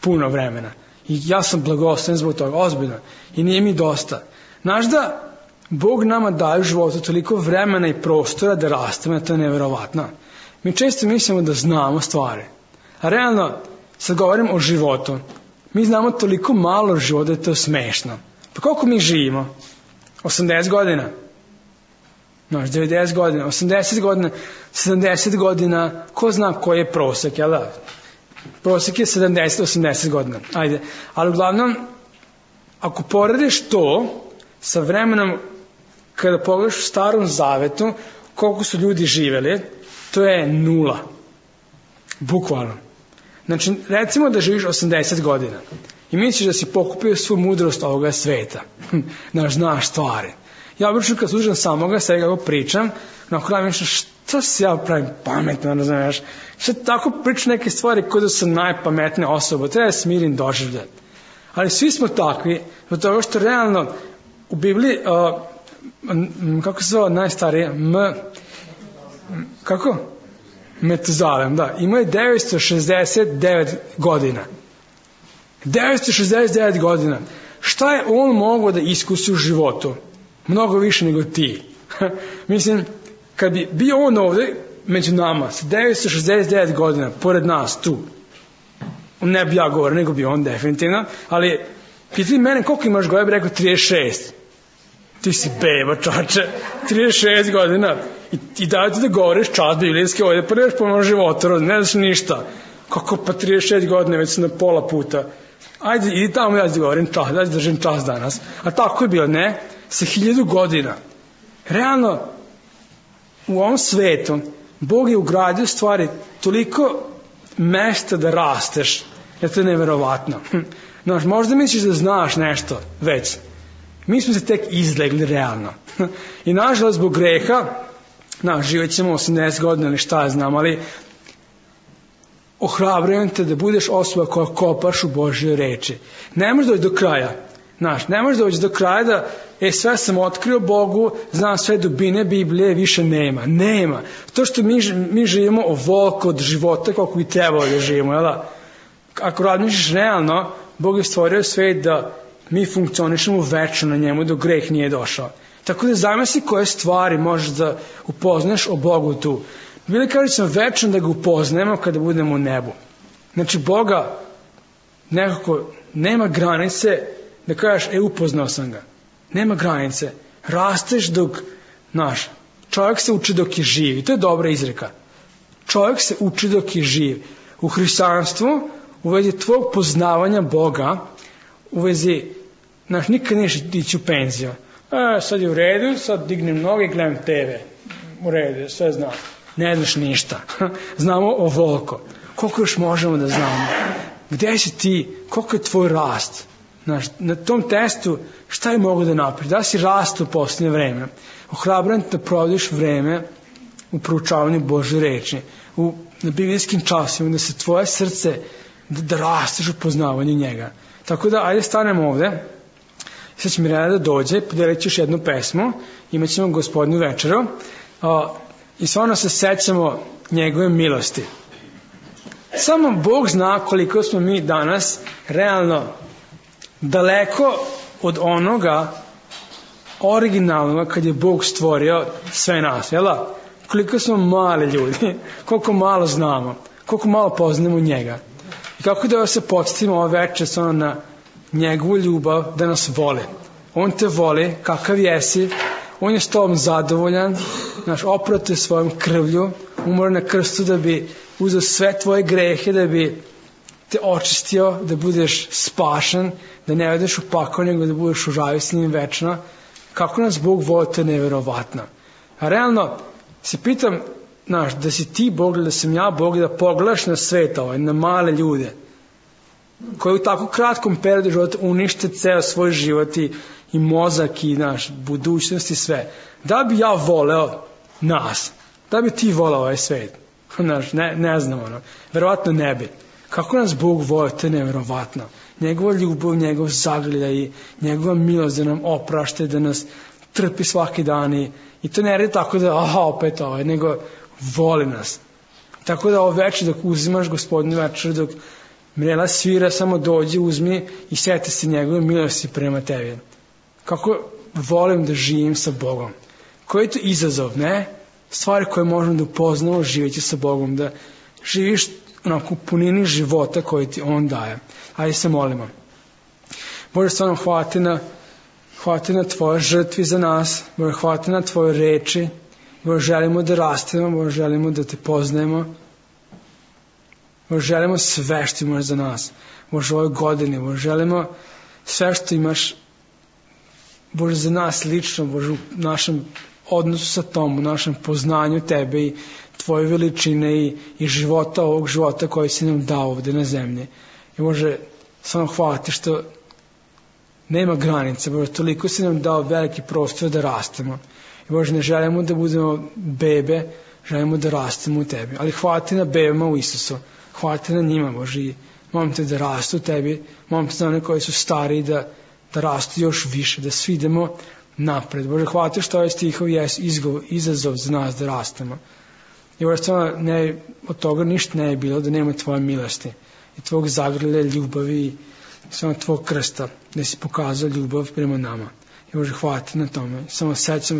puno vremena. I ja sam blagosloven zbog toga, ozbiljno. I nije mi dosta. Znaš da Bog nama daje u životu toliko vremena i prostora da rastemo, to je neverovatno. Mi često mislimo da znamo stvari. A realno, sad govorim o životu. Mi znamo toliko malo života da je to smešno. Pa koliko mi živimo? 80 godina? Znaš, 90 godina, 80 godina, 70 godina, ko zna koji je prosek, jel da? Prosek je 70-80 godina. Ajde. Ali uglavnom, ako porediš to sa vremenom kada pogledaš u Starom Zavetu koliko su ljudi živeli, to je 0. Bukvalno. Znači, recimo da živiš 80 godina i misliš da si pokupio svu mudrost ovoga sveta. Znaš stvari. Ja obično kad slušam samoga sebe kako pričam, na kraju mislim šta se ja pravim pametno, razumiješ? Šta tako pričam neke stvari koje da sam najpametnija osoba, treba smirim doživljati. Ali svi smo takvi, zbog toga što realno u Bibliji, kako se zove najstarije, kako? Metuzalem, da. Ima je 969 godina. 969 godina. Šta je on mogao da iskusi u životu? Mnogo više nego ti. Mislim, kad bi bio on ovde među nama sa 969 godina, pored nas tu, ne bi ja govorio, nego bi on definitivno, ali pitali mene koliko imaš godina, bi rekao 36. Ti si beba, čače, 36 godina i daj ti da govoriš čas biblijski ovdje, pa nemaš pomoć života, ne znaš ništa. Kako pa 36 godina, već sam na pola puta. Ajde, idi tamo, ja ti govorim čas, ja ti držim čas danas. A tako je bilo, ne? Sa 1000 godina. Realno, u ovom svetu, Bog je ugradio stvari toliko mesta da rasteš, je to neverovatno. Znaš, možda misliš da znaš nešto već. Mi smo se tek izlegli realno. I nažalost zbog greha, živjet ćemo 80 godina ili šta ja znam, ali ohrabrujem te da budeš osoba koja kopaš u Božjoj reči. Ne možeš doći do kraja. Ne možeš doći do kraja da sve sam otkrio Bogu, znam sve dubine Biblije, više nema. Nema. To što mi živimo ovoliko od života koliko bi trebalo da živimo. Jel? Ako razmišljaš realno, Bog je stvorio svet da mi funkcionišemo večno na njemu dok greh nije došao. Tako da zamisli koje stvari možeš da upoznaš o Bogu tu. Bili kaže sam večno da ga upoznajemo kada budemo u nebu. Znači Boga nekako nema granice da kažeš upoznao sam ga. Nema granice. Rasteš dok, čovjek se uči dok je živ. I to je dobra izreka. Čovjek se uči dok je živ. U hrišćanstvu, u vezi tvojeg poznavanja Boga, u vezi, nikad neš ići u penziju. Sad je u redu, sad dignem noge i gledam TV. U redu, sve znam. Ne znaš ništa. Znamo ovoliko. Koliko još možemo da znamo? Gde si ti? Koliko je tvoj rast? Na tom testu šta je mogu da napravi? Da si rastu u posljednje vreme? Ohrabrujem te da provodiš vreme u proučavanju Božje reči, na biblijskim časima, da se tvoje srce, da rasteš u poznavanju njega. Tako da, ajde stanemo ovde. Sad će Mirjana da dođe, podelit ću još jednu pesmu, imat ćemo Gospodnju večeru i stvarno se sećamo njegove milosti. Samo Bog zna koliko smo mi danas realno daleko od onoga originalnog kad je Bog stvorio sve nas, jel? Koliko smo mali ljudi, koliko malo znamo, koliko malo poznamo njega. I kako da se podsjetimo ove večer na njegovu ljubav da nas voli. On te voli, kakav jesi, on je s tobom zadovoljan, oprao te svojom krvlju, umro na krstu da bi uzeo sve tvoje grehe, da bi te očistio, da budeš spašen, da ne odeš u pakao, nego da budeš u raju s njim večno. Kako nas Bog voli, to je neverovatno. A realno se pitam, da si ti Bog, da sam ja Bog, da pogledaš na svet na male ljude, koji u tako kratkom periodu života unište ceo svoj život i mozak i budućnost i sve. Da bi ja voleo nas? Da bi ti voleo ovaj svet? Ne znam, verovatno ne bi. Kako nas Bog voli, to je neverovatno. Njegova ljubav, njegov zagrljaj i njegova milost da nam oprašta, da nas trpi svaki dan i to ne radi tako da opet nego voli nas. Tako da ovo večer dok uzimaš Gospodnju večer, dok Mirela svira, samo dođi, uzmi i sjeti se njegove milosti prema tebi. Kako volim da živim sa Bogom. Koji je to izazov, ne? Stvari koje možemo da upoznamo živeći sa Bogom, da živiš u punini života koji ti On daje. Ajde se molimo. Bože, stvarno hvala ti na Tvoje žrtvi za nas, Bože, hvala ti na Tvoje reči, Bože, želimo da rastemo, Bože, želimo da te poznajemo, Bože, želimo sve što imaš za nas, Bože, u ovoj godini, Bože, želimo sve što imaš, Bože, za nas lično, Bože, u našem odnosu sa Tom, u našem poznanju Tebe i Tvoje veličine i života, ovog života koji si nam dao ovde na zemlji. I Bože, samo hvala ti što nema granice, Bože, toliko si nam dao veliki prostor da rastemo. I Bože, ne želimo da budemo bebe, želimo da rastemo u Tebi. Ali hvala ti na bebama u Isusu, hvala ti na njima, Bože, i molim te da rastu u Tebi, molim te za one koji su stariji da rastu još više, da svi idemo napred. Bože, hvala ti što ovaj stihov je izazov za nas da rastemo. I Bože, stvarno od toga ništa ne je bilo da nema Tvoje milosti i Tvog zagrlja ljubavi i samo Tvog krsta, da si pokazao ljubav prema nama. I Bože, hvala ti na tome. Samo sećamo